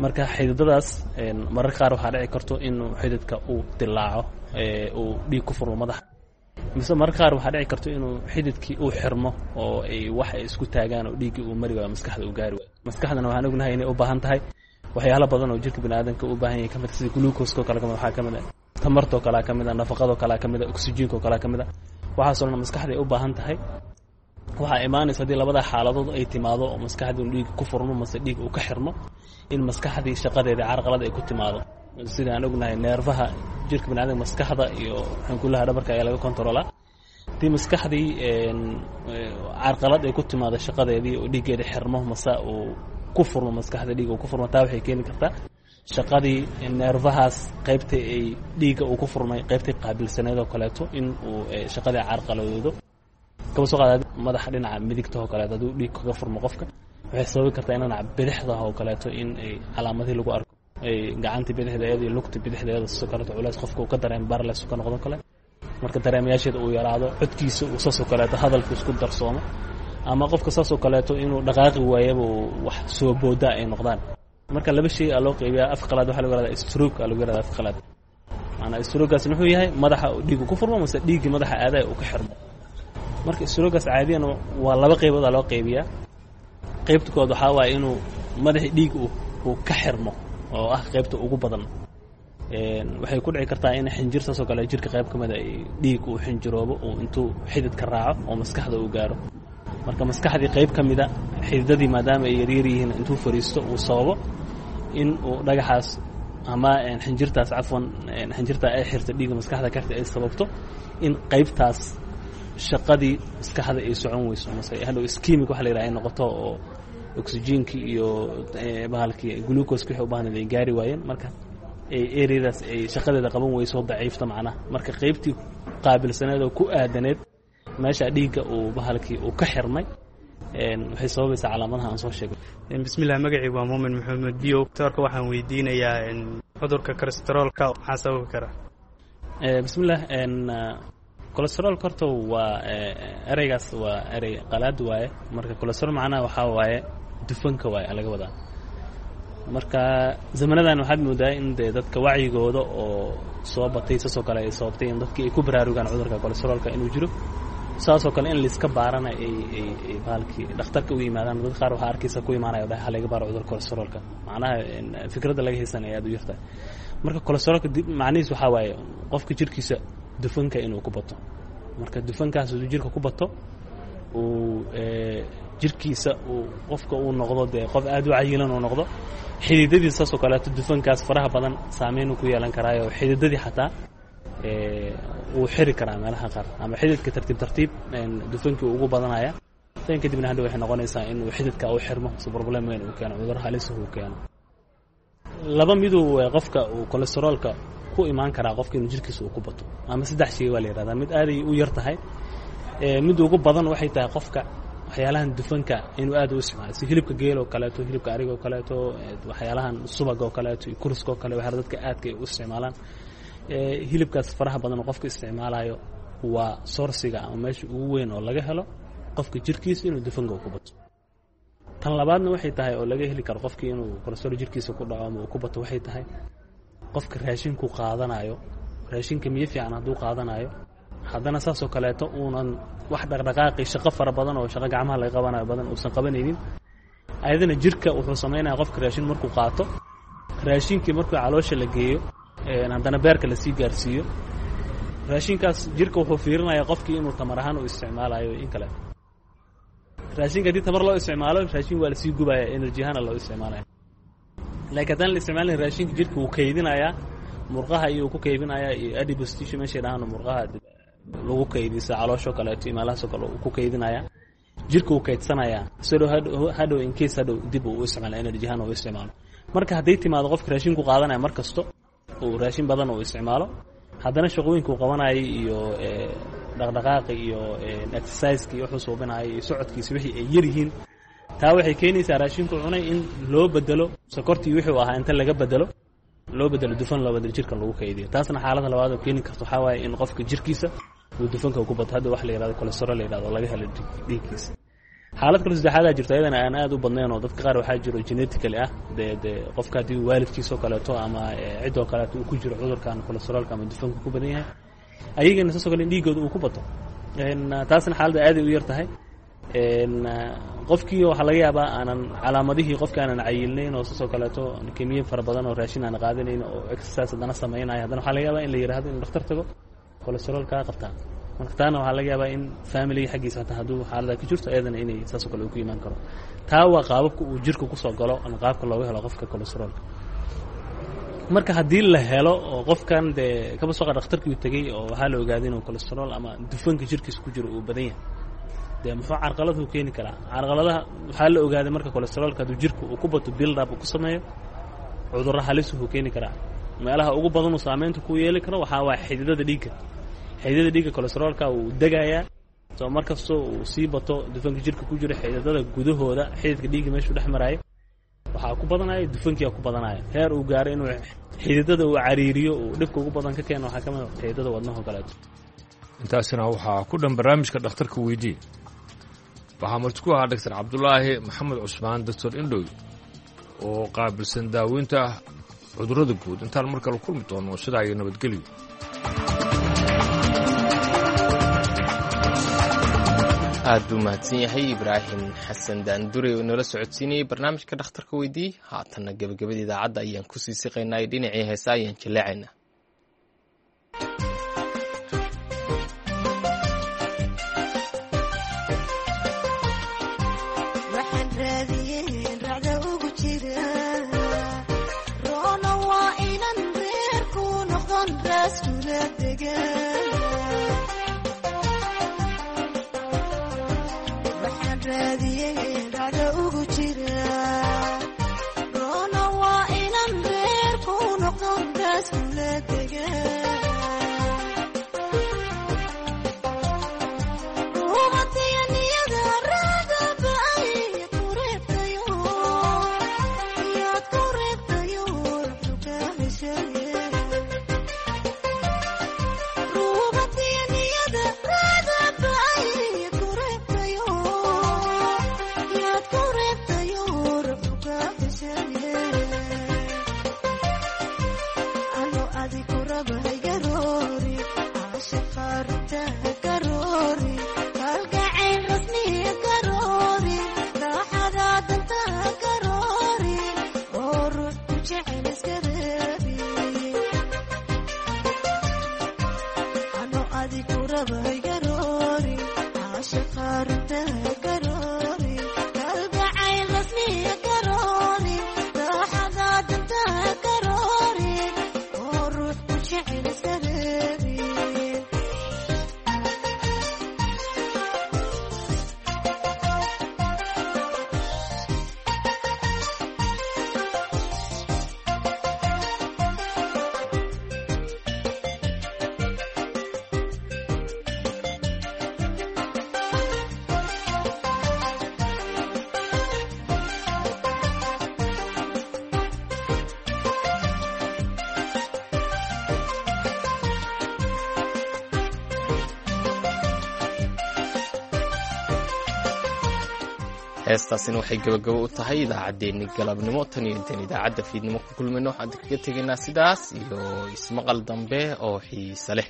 Marka xididadaas mararka qaar waxaa dhici karto inuu xididka uu dilaaco, uu dhiig ku furmo madaxa, mise mararka qaar waxaa dhici karto inuu xididkii uu xirmo oo ay wax ay isku taagaan oo dhiiggii uu mari waayo, maskaxda uu gaari waayo. Maskaxdana waxaan ognahay inay u baahan tahay waxyaalo badan oo jirka bani aadamka u baahan yahay kamid, sida glucose oo kale kamid, waxaa kamid ah tamartoo kalea kamid ah, nafaqadoo kalea kamid ah, oxygenka oo kalea kamid ah. Waxaasoo dhan maskaxda ay u baahan tahay. Waxaa imaanaysa haddii labada xaaladood ay timaado oo maskaxdii uu dhiig ku furmo mase dhiig uu ka xirmo, in maskaxdii shaqadeeda carqalad ay ku timaado. Sida aan ognahay, neerfaha jirka baniadamka maskaxda iyo xankullaha dhabarka ayaa laga controlaa. Haddii maskaxdii carqalad ay ku timaado shaqadeedii oo dhiiggeeda xirmo mase uu ku furmo, maskaxda dhiig uu ku furmo, taa waxay keeni kartaa shaqadii neerfahaas qaybta ay dhiigga uu ku furmay qaybtay qaabilsaneed oo kaleeto in uu shaqadii carqaladoodo. Kaba soo qaada madaxa dhinaca midigta oo kaleeto hadduu dhiig kaga furmo qofka, waxay sababi kartaa in dhinaca bidixda oo kaleeto in ay calaamadihii lagu arko, ay gacantii bidixdeeda iyo lugta bidixdeeda sidoo kaleeto culays qofka uu ka dareemo, barles ka noqdo kale. Marka dareemayaasheeda uu yaraado, codkiisa uu saasoo kaleeto hadalku isku darsoomo, ama qofka saasoo kaleeto inuu dhaqaaqi waayaba uu wax soo booda ay noqdaan. Marka laba shay aa loo qeybiyaa. Af qalaad waxaa lagu yihahdaa stroke aa lagu yihahdaa af qalaad. Maanaa strokegaas muxuu yahay? Madaxa dhiigu ku furmo mase dhiiggii madaxa aadaya uu ka xirmo. Marka strokegaas caadiyan waa laba qaybood aa loo qaybiyaa. Qaybta kood waxaa waaye inuu madaxii dhiig uu ka xirmo oo ah qaybta ugu badan. Waxay ku dhici kartaa in xinjir saasoo kale jirka qayb ka mida ay dhiig uu xinjiroobo, uu intuu xididka raaco oo maskaxda uu gaaro. Marka maskaxdii qayb ka mida xididadii, maadaama ay yaryar yihiin, intuu fariisto uu sababo in uu dhagaxaas ama xinjirtaas, cafwan, xinjirtaa ay xirta dhiigga maskaxda ka xirta ay sababto in qaybtaas shaqadii maskaxda ay socon weyso, mase hadhow ischemic waxa la yidhaha ay noqoto oo oxygenkii iyo bahalkii glucose wixii u baahnayd ay gaari waayeen. Marka areadaas ay shaqadeeda qaban weyso, daciifta macnaha. Marka qaybtii qaabilsaneed oo ku aadaneed meesha dhiigga uu bahalkii uu ka xirmay waxay sababaysaa calaamadaha aan soo sheegay. Bismillah, magacii waa Muumin Maxamed Biyow. Doctorka waxaan weydiinayaa cudurka kolestaroolka maxaa sababi kara? Bismillah, kolestaroolka horta waa ereygaas waa erey qalaad waaye. Marka kolestarool macnaha waxaa waaye dufanka waaye laga wadaa. Marka zamanadan waxaad moodaa in dee dadka wacyigooda oo soo batay saasoo kale ay sababtay in dadkii ay ku baraarugaan cudurka kolestaroolka inuu jiro, saasoo kale in laiska baarana ay ay ay bahalkii dhakhtarka u yimaadaan. Dad qaar waxaa arkaysa ku imaanaya dhaha laga baaro cudurka kolestaroolka, macnaha fikradda laga haysanaya aad u yartahay. Marka kolestaroolka macnihiis waxaa waaye qofka jirkiisa dufanka inuu ku bato. Marka dufankaas uu jirka ku bato, uu jirkiisa uu qofka uu noqdo dee qof aad u cayilan uu noqdo, xididadii saasoo kaleeto dufankaas faraha badan saameyn ku yeelan karaayo, xididadii xataa wuu xiri karaa meelaha qaar, ama xididka tartiib tartiib dufankii ugu badanaya tan kadibna hadhow waxay noqonaysaa inuu xididka u xirmo mise problem weyn uu keeno, cudur halis uu keeno. Laba miduu qofka uu kolestaroolka ku imaan karaa, qofka inuu jirkiisa uu ku bato, ama saddex shay waa la yihahdaa. Mid aaday u yar tahay, mid ugu badan waxay tahay qofka waxyaalahan dufanka inuu aad u isticmaalo, si hilibka geel oo kaleeto, hilibka ariga oo kaleeto, waxyaalahan subaga oo kaleeto iyo kurska oo kale, waxyaala dadka aadka ay u isticmaalaan. Hilibkaas faraha badan oo qofka isticmaalayo waa sourciga ama meesha ugu weyn oo laga helo qofka jirkiisa inuu dufanka ku bato. Tan labaadna waxay tahay oo laga heli karo qofkii inuu kolestarool jirkiisa ku dhaco ama uu ku bato, waxay tahay qofka raashinku qaadanayo, raashinka miyo fiican hadduu qaadanayo, haddana saasoo kaleeto uunan wax dhaqdhaqaaqi shaqo fara badan oo shaqo gacmaha laga qabanayo badan uusan qabanaynin, ayadana jirka wuxuu samaynaya qofka raashin markuu qaato Raashinkii markuu caloosha la geeyo, haddana beerka lasii gaarsiiyo, raashinkaas jirka wuxuu fiirinayaa qofkii inuu tamar ahaan u isticmaalayo in kale. Raashinka haddii tamar loo isticmaalo, raashin waa lasii gubaya, energy ahaana loo isticmaalaya. Laakiin haddaan la isticmaalin, raashinka jirka wuu kaydinayaa, murqaha iyuu ku kaydinayaa, iyo adipose tissue meeshay dhahaan, murqaha lagu kaydiyo sida calooshoo kaleeto iyo meelahaasoo kale uu ku kaydinayaa. Jirka wuu kaydsanayaa sidoo hadhow in case hadhow dib uu u isticmaalo, energy ahaan uu isticmaalo. Marka hadday timaado qofka raashinku qaadanaya mar kasto uu raashin badan uu isticmaalo, haddana shaqooyinka uu qabanayay iyo dhaqdhaqaaqi iyo exerciseka iyo wuxuu suubinayay iyo socodkiisa wixii ay yar yihiin, taa waxay keenaysaa raashinku cunay in loo bedelo sokortii wixii uu ahaa, inta laga bedelo loo bedelo dufan, loo bedelo jirka lagu kaydiyo. Taasna xaaladda labaad oo keeni karto waxaa waaye in qofka jirkiisa uu dufanka ku bato, hadda wax la yihahdo cholesterol la yihahdo laga helo dhiiggiisa. Xaalad kale saddexaadaa jirto, ayadana aan aad u badnayn, oo dadka qaar waxaa jiro genetically ah, dee dee qofka haddii waalidkiisoo kaleeto ama ciddoo kaleeto uu ku jiro cudurkan cholesterolka ama dufanka ku badan yahay, ayagana saasoo kale in dhiiggooda uu ku bato. Taasna xaaladda aaday u yar tahay. Qofkii waxaa laga yaabaa aanan calaamadihii, qofki aanan cayilnayn oo saasoo kaleeto kemiye fara badan oo raashin aan qaadanayn oo exercise haddana samaynayo, haddana waxaa laga yaabaa in la yihahdo inuu dhakhtar tago, cholesterol kaa qabtaa. Marka taana waxaa laga yaabaa in familiga xaggiisa hataa hadduu xaalada ka jirto, ayadana inay saasoo kale uu ku imaan karo. Taa waa qaababka uu jirka kusoo galo ama qaabka looga helo qofka cholesterolka. Marka haddii la helo oo qofkan dee kaba soo qaad dhakhtarkii uu tegey oo waxaa la ogaaday inuu cholesterol ama dufanka jirkiisa ku jiro uu badan yahay, dee muxuu carqaladu keeni karaa? Carqaladaha waxaa la ogaaday marka cholesterolka hadduu jirka uu ku bato, build up uu ku sameeyo, cudurro halis wuxuu keeni karaa. Meelaha ugu badan uu saameynta ku yeeli karo waxaa waa xididada dhiigga. Xididada dhiigga cholesterolka wuu degayaa. Soo mar kastoo uu sii bato dufanka jirka ku jiro, xididada gudahooda, xididka dhiigga meeshuu dhex maraayo, waxaa ku badanaya dufankiia ku badanaya, heer uu gaaro inuu xididada uu cariiriyo, uu dhibka ugu badan ka keeno waxaa ka mid a xididada wadnaho kaleeto. Intaasina waxaa ku dhan barnaamijka Dhakhtarka Weydii. Waxaa marti ku ahaa Doctor Cabdulaahi Maxamed Cusmaan, Doctor Indhow, oo qaabilsan daaweynta cudurrada guud. Intaan mar kale kulmi doono, sidaa iyo nabadgelyo. Aad buu mahadsan yahay Ibraahim Xasan Daandure oo inoola socodsiinayay barnaamijka Dhakhtarka Weydii. Haatanna gebagabada idaacadda ayaan kusii siqaynaa, dhinacii heesa ayaan jaleecaynaa. Heestaasina waxay gabagabo u tahay idaacaddeenni galabnimo. Tan iyo intaan idaacadda fiidnimo ku kulmayno, waxaan kaga tegaynaa sidaas iyo ismaqal dambe oo xiise leh.